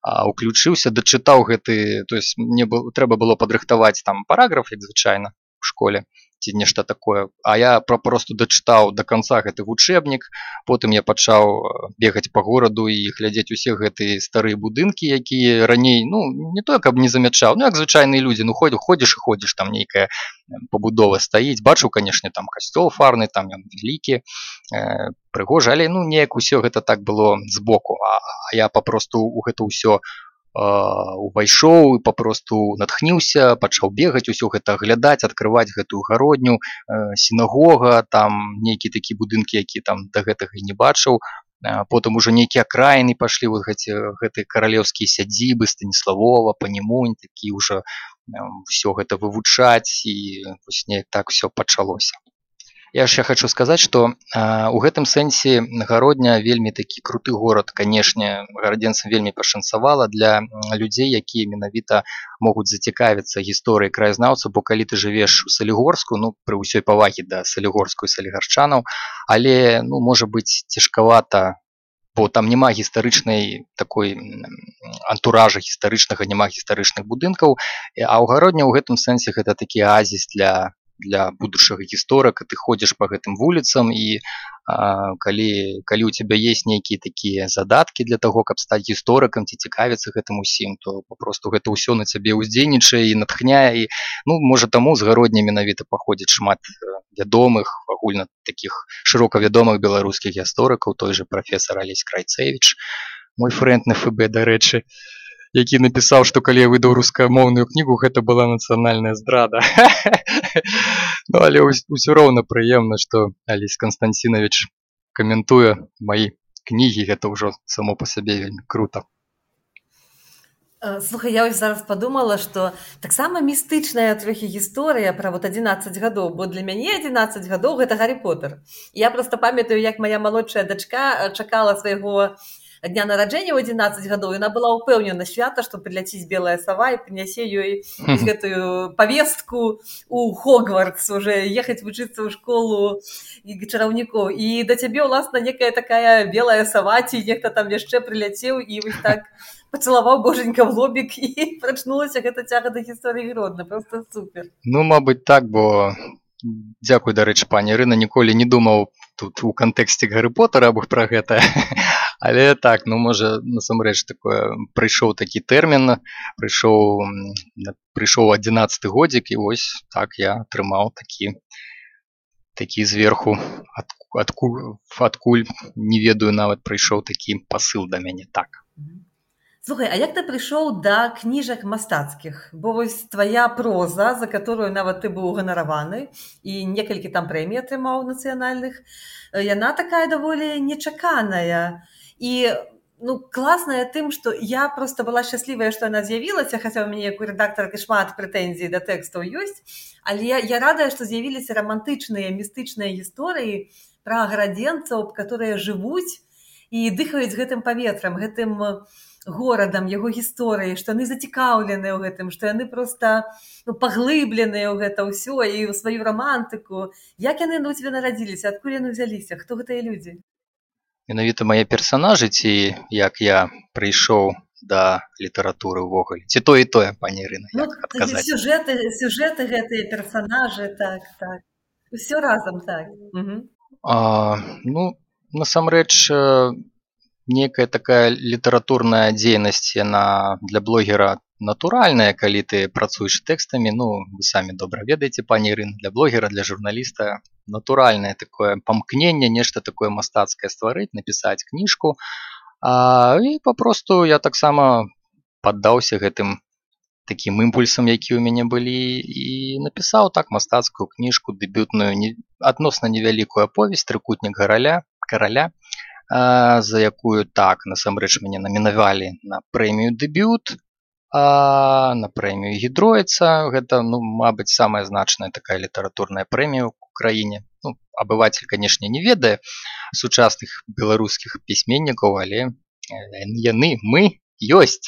уключыўся, дачытаў гэты, то есть мне трэба было падрыхтаваць там параграф, як звычайна, у школе, ці нешта такое, а я просто дачытаў да канца гэты вучэбнік, потым я пачаў бегаць па гораду і глядзець усе гэтыя старыя будынкі, якія раней, ну, не то, каб не замячаў, ну, як звычайныя людзі, ну, ходзіш і ходзіш, там нейкая пабудова стаіць, бачыў, канешне, там касцёл фарны, там ён вялікі, прыгожы, але, ну, неяк усё гэта так было збоку, а я папросту у гэта ўсё увайшоў і папросту натхніўся, пачаў бегаць, усё гэта аглядаць, адкрываць гэтую гародню, сінагога, там нейкія такія будынкі, які там да гэтага і не бачыў. Потым ужо нейкія акраіны пашлі, вот гэтыя каралеўскія сядзібы Станіславова, Панімунь, такі ўжо ўсё гэта вывучаць, і вось неяк так усё пачалося. Я яшчэ хочу сказаць, што у гэтым сэнсе Гародня вельмі такі круты горад. Канешне, гарадзенцам вельмі пашанцавала для людзей, якія менавіта могуць зацікавіцца гісторыяй краязнаўца, бо калі ты жывеш у Салігорску, ну, пры ўсёй павагі да салігорску і салігарчанаў, але, ну, можа быць цяжкавата, бо там няма гістарычнай такой антуража гістарычнага, няма гістарычных будынкаў, а ў Гародня ў гэтым сэнсе гэта такі аазіс для будучага гісторыка, ты ходзіш па гэтым вуліцам, і калі у цябе есть нейкія такія задаткі для таго, каб стаць гісторыкам ці цікавіцца гэтым усім, то папросту гэта ўсё на цябе ўздзейнічае і натхняе, і, ну, можа, таму з Гародня менавіта паходзіць шмат вядомых, агульна такіх шырока вядомых беларускіх гісторыкаў, той же прафесар Алесь Крайцевіч, мой фрэнд на ФБ, дарэчы, які напісаў, што калі я выдаў рускамоўную кнігу, гэта была нацыянальная здрада. Ну, але ўсё роўна прыемна, што Алесь Канстанцінович каментуе мае кнігі, гэта ўжо само па сабе вельмі крута. Слухай, я ось зараз подумала, што таксама містычная трохі гісторыя пра вот 11 гадоў, бо для мяне 11 гадоў гэта Гаррі Поттер. Я просто памятаю, як моя малодшая дачка чакала свайго дня нараджэння ў 11 гадоў, і яна была ўпэўнена свята, што прыляціць белая сава і прынясе ёй гэтую павестку у Хогвартс, уже ехаць вучыцца ў школу чараўнікоў. І да цябе, уласна, некая такая белая сава, ці нехта там яшчэ прыляцеў, і вось так пацалаваў боженька в лобік, і прачнулася гэта цяга да гісторыі Гродна. Просто супер. Ну, мабыць, так, бо дзякуй, дарэчы, пані Ірына, ніколі не думаў тут у кантэксце Гаррі Поттера аб пра гэта. Але так, ну, можа, насамрэч такое, прыйшоў такі тэрмін, прыйшоў 11 годзік, і вось так я атрымаў такі зверху, адкуль, не ведаю, нават прыйшоў такі пасыл да мяне, так. Слухай, а як ты прыйшоў да кніжак мастацкіх? Бо вось твая проза, за которую нават ты быў ганараваны, і некалькі там прэмій атрымаў нацыянальных, яна такая даволі нечаканая. І ну, класная тым, што я просто была шчаслівая, што яна з'явілася, хаця ў мяне як у рэдактаркі шмат прэтэнзій да тэкстаў ёсць, але я радая, што з'явіліся рамантычныя, містычныя гісторыі пра гарадзенцаў, которые жывуць і дыхаюць гэтым паветрам, гэтым горадам, яго гісторыі, што яны зацікаўленыя ў гэтым, што яны проста паглыбленыя ў гэта ўсё і ў сваю рамантыку. Як яны у цябе нарадзіліся, адкуль яны ўзяліся, хто гэтыя людзі? Менавіта мае персанажы, ці як я прыйшоў да літаратуры ўвогуле, ці тое і тое, пані Ірына, як адказаць? Сюжэты гэтыя персанажы, так. Усё разам, так. Ну, насамрэч, некая такая літаратурная дзейнасць, яна для блогера натуральная, калі ты працуеш тэкстамі, ну, вы самі добра ведаеце, пані Ірына, для блогера, для журналіста натуральнае такое памкненне, нешта такое мастацкае стварыць, напісаць кніжку, і папросту я таксама паддаўся гэтым такім імпульсам, які ў мяне былі, і напісаў так мастацкую кніжку, дэбютную, адносна невялікую аповесць «Трыкутнік караля», за якую так насамрэч мяне намінавалі на прэмію «Дэбют», на прэмію «Гідроіца». Гэта, ну, мабыць, самая значная такая літаратурная прэмія ў краіне. Ну, абывацель, канешне, не ведае сучасных беларускіх пісьменнікаў, але мы ёсць.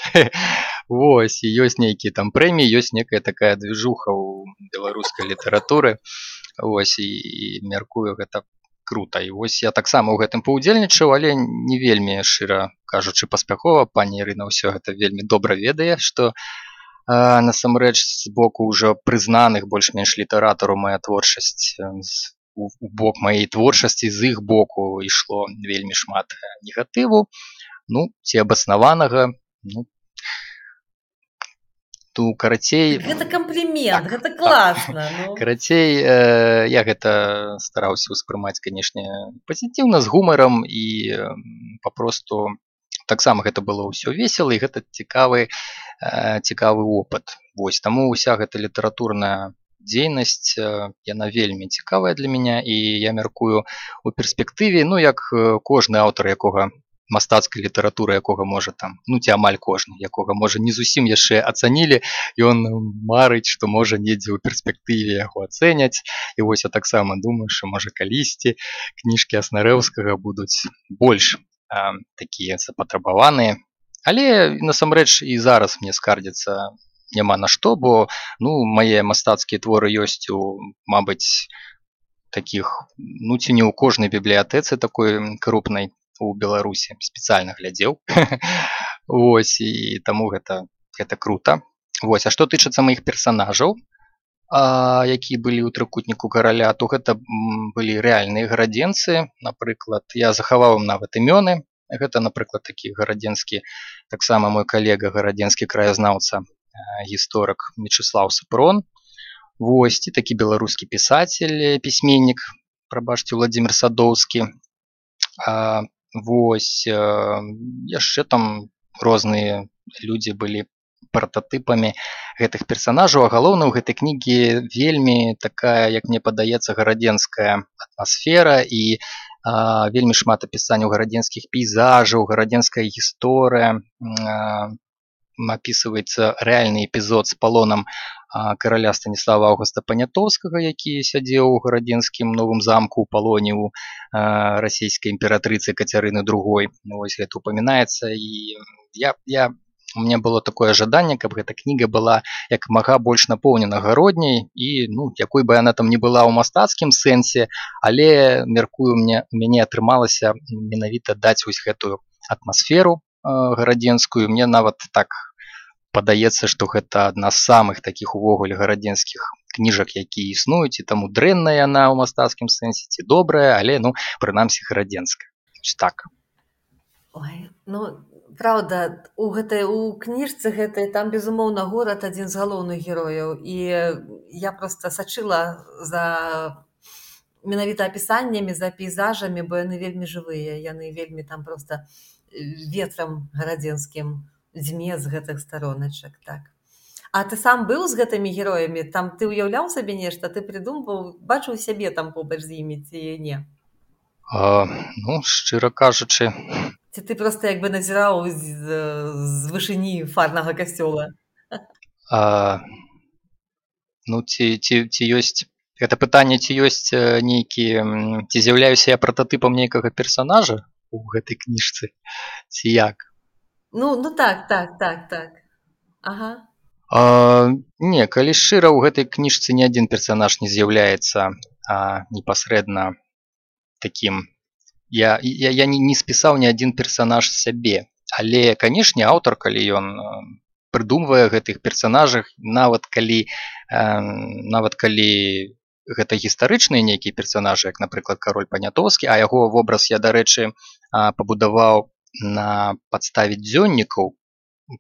Вось, і ёсць нейкія там прэміі, ёсць некая такая движуха ў беларускай літаратуры. Вось, і мяркую, гэта крута. І вось я таксама ў гэтым паўдзельнічаў, але не вельмі, шчыра кажучы, паспяхова. Пані Ірына ўсё гэта вельмі добра ведае, што насамрэч з боку ўжо прызнаных больш-менш літаратараў мая творчасць, у бок маёй творчасці з іх боку ішло вельмі шмат негатыву, ну, ці абаснаванага, ну, карацей... Гэта комплімент, гэта класна. Карацей, я гэта стараўся ўспрымаць, канешне, пазітыўна, з гумарам, і папросту таксама гэта было ўсё весела, і гэта цікавы опыт. Вось, таму ўся гэта літаратурная дзейнасць, яна вельмі цікавая для мяне, і я мяркую у перспектыве, ну, як кожны аўтар, якога мастацкай літаратуры, якога можа там, ну, ці амаль кожны, якога можа не зусім яшчэ ацанілі, ён марыць, што можа недзе ў перспектыве яго ацэняць. І вось я таксама думаю, што можа калісьці кніжкі Аснарэўскага будуць больш такія запатрабаваныя. Але насамрэч і зараз мне скардзіцца няма на што, бо, ну, мае мастацкія творы ёсць у, мабыць, такіх, ну, ці не ў кожнай бібліятэцы такой крупнай у Беларусі, спецыяльна глядзеў. Вось, і таму гэта крута. Вось, а што тычыцца маіх персанажаў, якія былі ў «Трыкутніку караля», то гэта былі рэальныя гарадзенцы. Напрыклад, я захаваў ім нават імёны. Гэта, напрыклад, такі гарадзенскі, таксама мой калега, гарадзенскі краязнаўца, гісторык Мечыслаў Сапрон. Вось, і такі беларускі пісацель, пісьменнік, прабачце, Владзімір Садоўскі. Вось, яшчэ там розныя людзі былі прататыпамі гэтых персанажаў, а галоўна ў гэтай кнігі вельмі такая, як мне падаецца, гарадзенская атмасфера, і Вельмі шмат апісанняў гарадзенскіх пейзажаў, гарадзенская гісторыя, апісваецца рэальны эпізод з палонам караля Станіслава Аўгуста Панятоўскага, які сядзеў у гарадзенскім новым замку ў палоне ў расійскай імператрыцы Кацярыны II. Вось гэта упамінаецца, і у меня было такое жаданне, каб гэта кніга была як мага больш напоўнена гародняй, і якой бы яна там не была ў мастацкім сэнсе, але, мяркую, у мяне атрымалася менавіта даць вось гэтую атмасферу гарадзенскую. Мне нават так падаецца, што гэта адна з самых такіх увогуле гарадзенскіх кніжак, якія існуюць, і таму дрэнная яна ў мастацкім сэнсе ці добрая, але прынамсі гарадзенская. Так. Ой, правда, у кніжцы гэтай там, безумоўна, горад адзін з галоўных герояў, і я проста сачыла за менавіта апісаннямі, за пейзажамі, бо яны вельмі жывыя, яны вельмі там проста ветрам гарадзенскім дзьме з гэтых староначак, так. А ты сам быў з гэтымі героямі? Там ты ўяўляў сабе нешта, ты прыдумваў, бачыў сябе там побач з імі ці не? Шчыра кажучы. Ці ты проста як бы назіраў з вышыні фарнага касцёла? Ці ёсць гэта пытанне, ці ёсць нейкі, ці з'яўляюся я прататыпам нейкага персанажа у гэтай кніжцы, ці як? Так. Ага. Не, калі шчыра, у гэтай кніжцы ні адзін персанаж не з'яўляецца непасрэдна такім. Я не спісаў ні адзін персанаж сябе, але, канешне, аўтар, калі ён прыдумвае гэтых персанажах, нават калі гэта гістарычныя нейкія персанажы, як, напрыклад, кароль Панятоўскі, а яго вобраз я, дарэчы, пабудаваў на падставе дзённікаў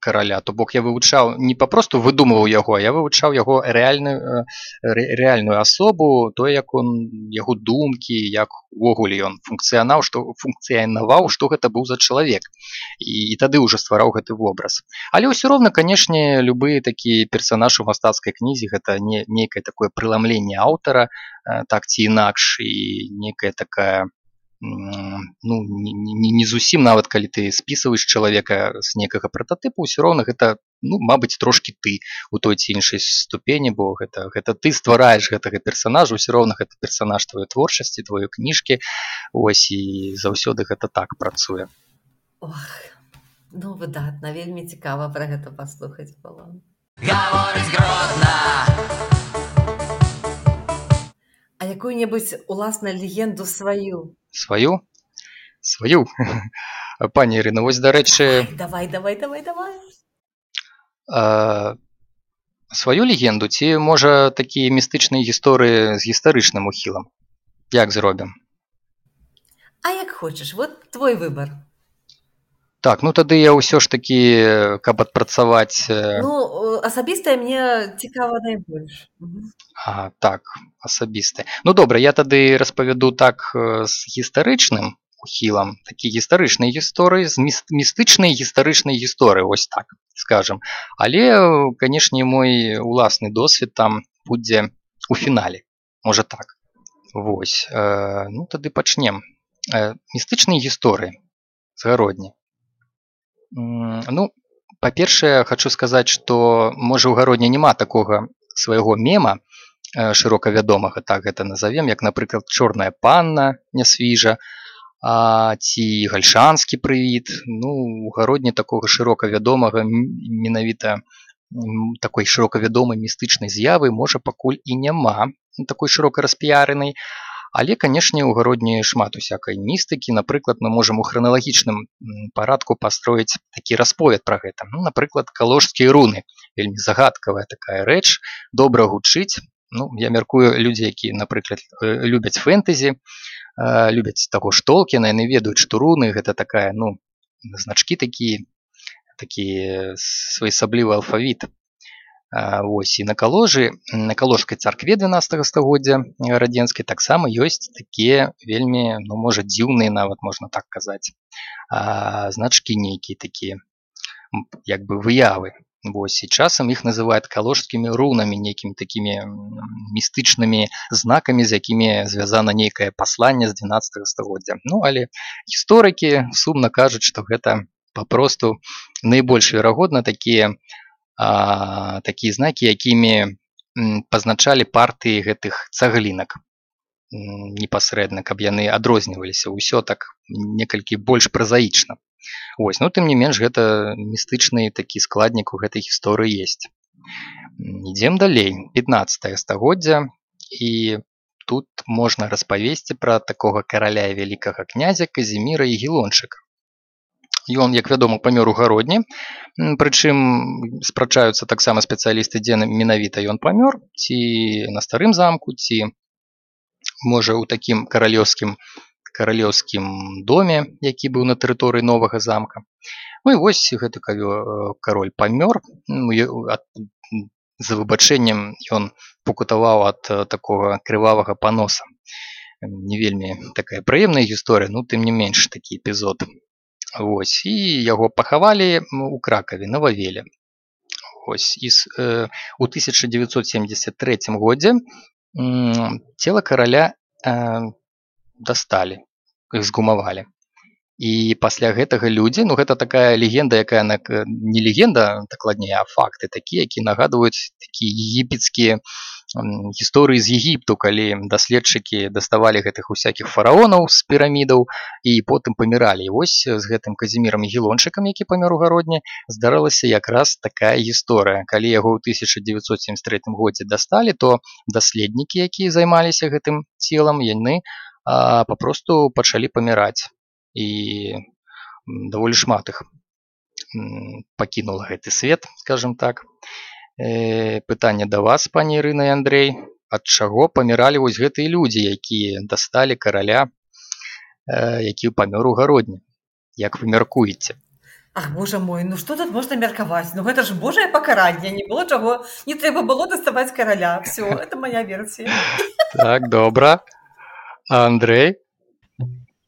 караля, то бок я вывучаў, не папросту выдумываў яго, а я вывучаў яго рэальную асобу, то, як яго думкі, як увогуле ён функцыянаваў, што гэта быў за чалавек. І тады ўжо ствараў гэты вобраз. Але ўсё роўна, канешне, любы такі персанаж у мастацкай кнізе гэта нейкае такое прыламленне аўтара, так ці інакш, і нейкая такая не зусім, нават калі ты спісваеш чалавека з нейкага прататыпу, ўсё роўна гэта, мабыць, трошкі ты у той ці іншай ступені, бо гэта ты ствараеш гэтага персанажа, ўсё роўна гэта персанаж тваёй творчасці, тваёй кніжкі, ось, і заўсёды гэта так працуе. Ох, выдатна, вельмі цікава пра гэта паслухаць было. Гаворыць Гродна. А якую-небудзь уласна легенду сваю? Сваю? Пані Ірына, вось, дарэчы... Давай. Сваю легенду ці, можа, такія містычныя гісторыі з гістарычным ухілам? Як зробім? А як хочаш, вот твой выбар. Так, тады я ўсё ж такі, каб адпрацаваць... Асабістае мне цікава найбольш. Так, асабістае. Добра, я тады распавяду так з гістарычным ухілам, такі гістарычнай гісторыі, з містычнай гістарычнай гісторыі, вось так скажам. Але, канешне, мой уласны досвед там будзе у фінале, можа так. Вось, тады пачнем. Містычнай гісторыі з гародні. Па-першае, хачу сказаць, што, можа, у гародні няма такога свайго мема шырока вядомага, так гэта назовем, як, напрыклад, чорная панна нясвіжа, ці гальшанскі прывід. У гародні такога шырока вядомага, менавіта такой шырока вядомай містычнай з'явы, можа, пакуль і няма, такой шырока распіярынай. Але, канешне, у гародні шмат усякай містыкі. Напрыклад, мы можам у храналагічным парадку пастроіць такі расповед пра гэта. Напрыклад, каложскія руны. Вельмі загадкавая такая рэч, добра гучыць. Я мяркую, людзі, якія, напрыклад, любяць фэнтэзі, любяць таго ж Толкіна, яны ведаюць, што руны гэта такая, значкі такі своеасаблівы алфавіт. Вось, і на каложскай царкве 12 стагоддзя гарадзенскай таксама ёсць такія вельмі, можа, дзіўныя, нават можна так казаць, значкі нейкія такія, як бы выявы. Вось, і часам іх называюць калужскімі рунамі, нейкімі такімі містычнымі знакамі, з якімі звязана нейкае пасланне з 12 стагоддзя. Ну, але гісторыкі сумна кажуць, што гэта папросту найбольш верагодна такія знакі, якімі пазначалі партыі гэтых цаглінак непасрэдна, каб яны адрозніваліся. Усё так некалькі больш празаічна. Вось, ну, тым не менш, гэта містычны такі складнік у гэтай гісторыі ёсць. Ідзем далей. 15 стагоддзя, і тут можна распавесці пра такога караля і вялікага князя Казіміра Ягелончыка. Ён, як вядома, памёр у гародні, прычым спрачаюцца таксама спецыялісты, дзе менавіта ён памёр, ці на старым замку, ці, можа, у такім каралеўскім доме, які быў на тэрыторыі новага замка. Ну і вось гэты кароль памёр. За выбачэннем ён пакутаваў ад такога крывавага паноса. Не вельмі такая прыемная гісторыя, ну тым не менш такі эпізод. Вось, і яго пахавалі у Кракаве, на Вавеле. Вось, і у 1973 годзе цела караля дасталі, згумавалі. І пасля гэтага людзі, ну гэта такая легенда, якая не легенда, дакладней, а факты такія, які нагадваюць такія егіпецкія гісторыі з Егіпту, калі даследчыкі даставалі гэтых усякіх фараонаў з пірамідаў і потым паміралі. І вось з гэтым Казімірам Ягелончыкам, які памёр у гародні, здарылася якраз такая гісторыя. Калі яго ў 1973 годзе дасталі, то даследнікі, якія займаліся гэтым целам, яны папросту пачалі паміраць. І даволі шмат іх пакінула гэты свет, скажем так. Пытанне да вас, пані Ірына і Андрэй. Ад чаго паміралі вось гэтыя людзі, якія дасталі караля, які памёр у гародні? Як вы мяркуеце? Ах, боже мой, ну што тут можна меркаваць? Ну гэта ж божае пакаранне, не было чаго, не трэба было даставаць караля. Всё, это моя версія. Так, добра. А Андрей?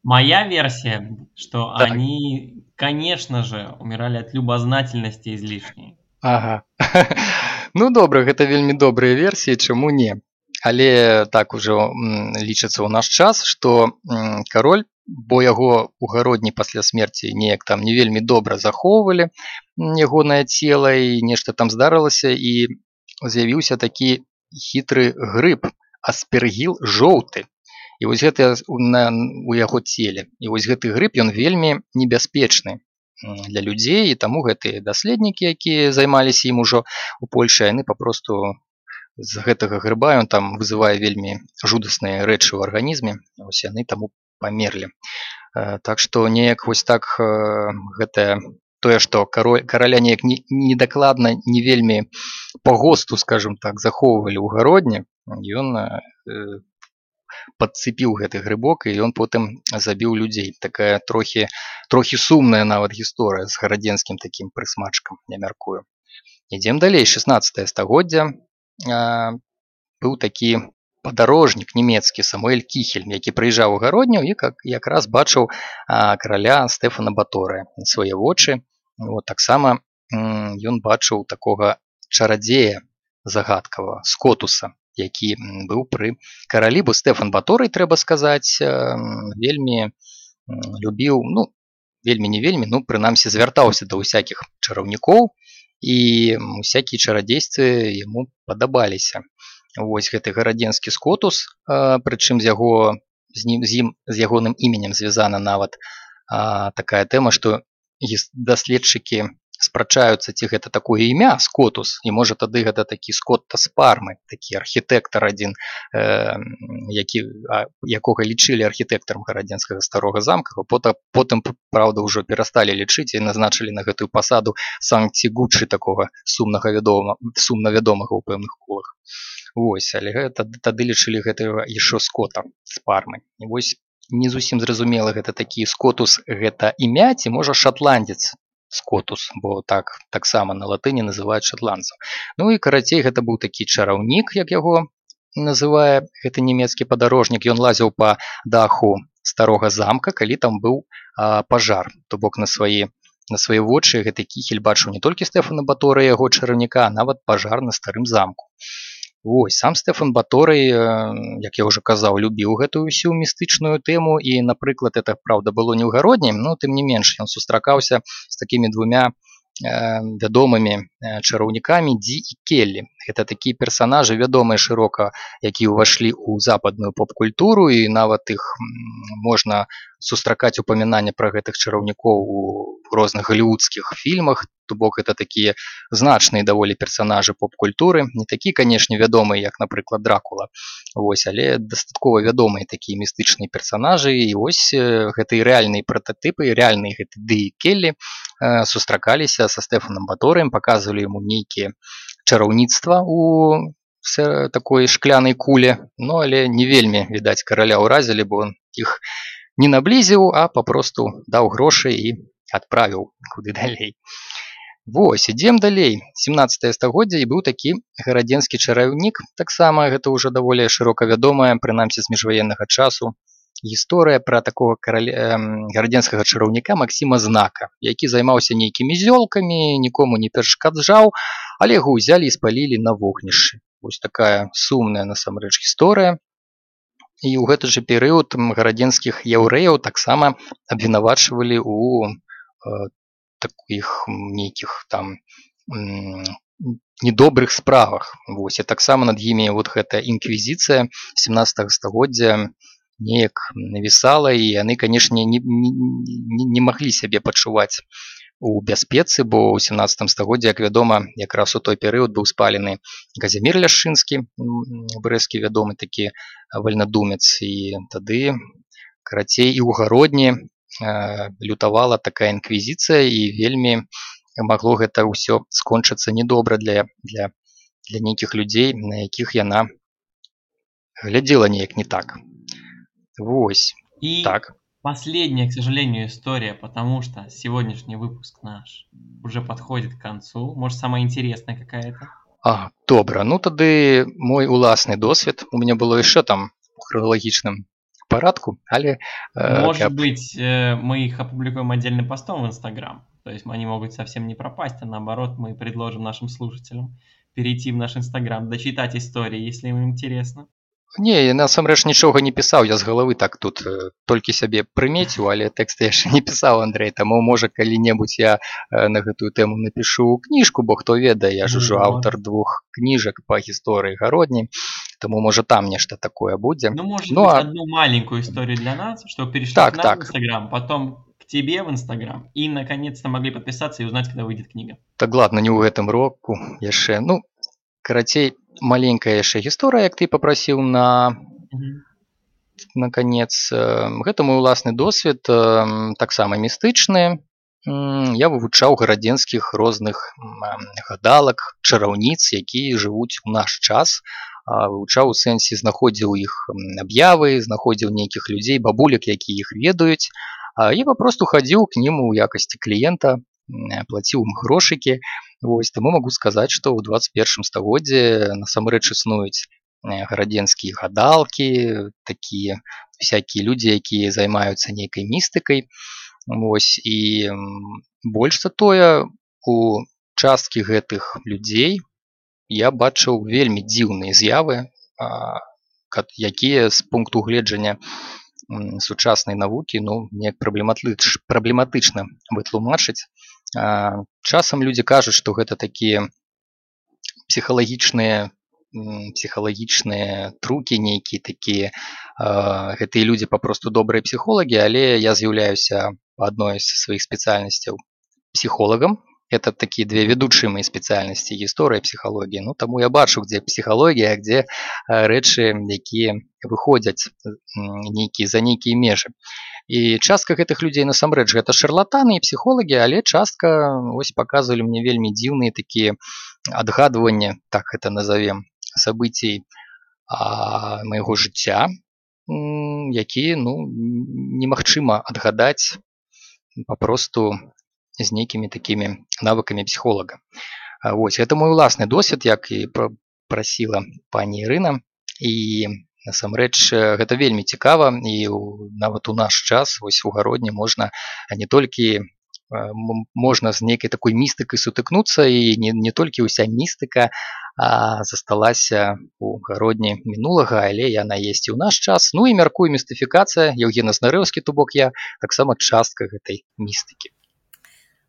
Моя версия, что они, конечно же, умирали от любознательности излишней. Ага. Ну, добра, гэта вельмі добрыя версіі, чаму не. Але так ужо лічыцца ў наш час, што кароль, бо яго у гародні пасля смерці неяк там не вельмі добра захоўвалі ягонае цела, і нешта там здарылася, і з'явіўся такі хітры грыб, аспергіл жоўты. І вось гэта у яго целе. І вось гэты грыб, ён вельмі небяспечны для людзей, і таму гэтыя даследнікі, якія займаліся ім ужо у Польшы, яны папросту з гэтага грыба, ён там вызывае вельмі жудасныя рэчы ў арганізме, вось яны таму памерлі. Так што неяк вось так гэта тое, што караля неяк недакладна, не вельмі па госту, скажем так, захоўвалі ў гародні, ён падцепіў гэты грыбок, і ён потым забіў людзей. Такая трохі сумная нават гісторыя з гарадзенскім такім прысмачкам, я мяркую. Ідзем далей. 16 стагоддзя. Быў такі падарожнік нямецкі Самуэль Кіхель, які прыязджаў у гародню і якраз бачыў караля Стэфана Баторыя на свае вочы. Таксама ён бачыў такога чарадзея загадкавага, Скотуса, які быў пры каралі, бо Стэфан Баторый, трэба сказаць, вельмі любіў, ну, вельмі не вельмі, ну, прынамсі звяртаўся да ўсякіх чараўнікоў, і усякія чарадзействы яму падабаліся. Вось гэты гарадзенскі Скотус, прычым з ягоным іменем звязана нават такая тэма, што даследчыкі спрачаюцца, ці гэта такое імя Скотус, і можа тады гэта такі Скотта з Пармы, такі архітэктар адзін, якога лічылі архітэктарам гарадзенскага старога замка, потым, праўда, ўжо перасталі лічыць і назначылі на гэтую пасаду Санкці-Гуччы, такога сумна вядомага ў пэўных колах. Вось, але тады лічылі гэтага яшчэ Скота з Пармы. І вось не зусім зразумела, гэта такі Скотус, гэта імя, ці можа шатландец Скотус, бо таксама на латыні называюць шатландцаў. Ну і карацей, гэта быў такі чараўнік, як яго называе гэты нямецкі падарожнік. Ён лазіў па даху старога замка, калі там быў пажар. То бок на свае на свае вочы гэты кіхель бачыў не толькі Стэфана Баторыя, яго чараўніка, а нават пажар на старым замку. Вось, сам Стэфан Баторый, як я ўжо казаў, любіў гэтую ўсю містычную тэму, і, напрыклад, это, праўда, было не ў гародні, но тым не менш, ён сустракаўся з такімі двумя вядомымі чараўнікамі Ді і Келлі. Гэта такія персанажы вядомыя шырока, якія ўвайшлі ў западную поп-культуру, і нават іх можна сустракаць упамінанне пра гэтых чараўнікоў у розных галівудскіх фільмах, то бок гэта такія значныя даволі персанажы поп-культуры, не такія, канешне, вядомыя, як, напрыклад, Дракула, вось, але дастаткова вядомыя такія містычныя персанажы, і вось гэтыя рэальныя прататыпы, рэальныя гэты Ды і Келлі сустракаліся са Стэфанам Баторыем, паказвалі яму нейкія чараўніцтва у такой шклянай куле, ну, але не вельмі, відаць, караля ўразілі, бо он іх не наблізіў, а папросту даў грошы і адправіў куды далей. Вось, ідзем далей. 17 стагоддзе, і быў такі гарадзенскі чараўнік, таксама гэта ўжо даволі шырока вядомая, прынамсі з міжваеннага часу, гісторыя пра такога гарадзенскага чараўніка Максіма Знака, які займаўся нейкімі зёлкамі, нікому не перашкаджаў, але яго ўзялі і спалілі на вогнішчы. Вось такая сумная насамрэч гісторыя. І ў гэты же перыяд гарадзенскіх яўрэяў таксама абвінавачвалі ў такіх нейкіх там недобрых справах. Вось, і таксама над імі вот гэта інквізіцыя 17 стагоддзя неяк навісала, і яны, канешне, не маглі сябе пачуваць у бяспецы, бо ў 17 стагоддзі, як вядома, якраз у той перыяд быў спалены Казімір Ляшчынскі, брэсцкі вядомы такі вальнадумец, і тады, карацей, і ў гародні лютавала такая інквізіцыя, і вельмі магло гэта ўсё скончыцца недобра для нейкіх людзей, на якіх яна глядзела неяк не так. Вось. И так. Последняя, к сожалению, история, потому что сегодняшний выпуск наш уже подходит к концу. Может, самая интересная какая-то? Добра. Ну, тады мой уласны досвед. У меня было яшчэ там у хроналагічным парадку, але... Может быть, мы их опубликуем отдельным постом в Инстаграм. То есть они могут совсем не пропасть, а наоборот, мы предложим нашим слушателям перейти в наш Инстаграм, дочитать истории, если им интересно. Не, я насамрэч нічога не пісаў, я з галавы так тут толькі сябе прымеціў, але тэкст я яшчэ не пісаў, Андрэй, таму можа калі-небудзь я на гэтую тэму напішу кніжку, бо хто ведае, я ж ужо аўтар 2 кніжак па гісторыі гародні, таму можа там нешта такое будзе. Ну, может быть, одну маленькую историю для нас, чтобы перешли к нам в Инстаграм, потом к тебе в Инстаграм, и наконец-то могли подписаться и узнать, когда выйдет книга. Так ладно, не ў гэтым року яшчэ, ну, карацей, маленькая яшчэ гісторыя, як ты папрасіў на канец. Гэта мой уласны досвед, таксама містычны. Я вывучаў гарадзенскіх розных гадалак, чараўніц, якія жывуць у наш час. Вывучаў у сэнсе, знаходзіў іх аб'явы, знаходзіў нейкіх людзей, бабулек, якія іх ведаюць. І папросту хадзіў к ім у якасці кліента, плаціў ім грошыкі. Вось, таму магу сказаць, што ў 21 стагоддзе насамрэч існуюць гарадзенскія гадалкі, такія всякія людзі, якія займаюцца нейкай містыкай. Вось, і больш за тое, у часткі гэтых людзей я бачыў вельмі дзіўныя з'явы, якія з пункту гледжання сучаснай навукі, ну, неяк праблематычна вытлумачыць. Часам людзі кажуць, што гэта такія псіхалагічныя трукі нейкія такія. Гэтыя людзі папросту добрыя псіхолагі, але я з'яўляюся адной з сваіх спецыяльнасцяў псіхолагам. Это такія две ведучыя мае спецыяльнасці, гісторыя, псіхалогія. Ну, таму я бачу, дзе псіхалогія, дзе рэчы, якія выходзяць за нейкія межы. І частка гэтых людзей насамрэч гэта шарлатаны і псіхолагі, але частка ось паказвалі мне вельмі дзіўныя такія адгадванні, так гэта назовем, сабыцій майго жыцця, якія, ну, немагчыма адгадаць папросту з нейкімі такімі навыкамі псіхолага. Вось, гэта мой уласны досвед, як і прасіла пані Ірына, і насамрэч гэта вельмі цікава, і нават у наш час, вось у гародні можна не толькі можна з нейкай такой містыкай сутыкнуцца, і не толькі ўся містыка засталася у гародні мінулага, але яна есть і ў наш час. Ну і мяркую, містыфікацыя, Еўген Азнарэўскі, то бок я, таксама частка гэтай містыкі.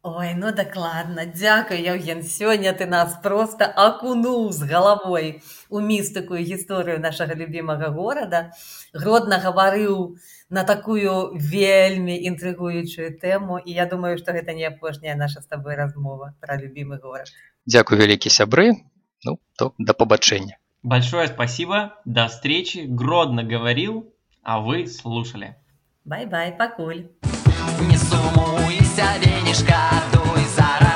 Ой, ну дакладна. Дзякуй, Еўген. Сёння ты нас проста акунуў з галавой у містыку і гісторыю нашага любімага горада. Гродна гаварыў на такую вельмі інтрыгуючую тэму, і я думаю, што гэта не апошняя наша з табой размова пра любімы горад. Дзякуй, вялікі сябры. Ну, то да побачення. Большое спасибо. До встречи. Гродно говорил, а вы слушали. Бай-бай, пакуль. Не сумуйся, Венечка, дуй за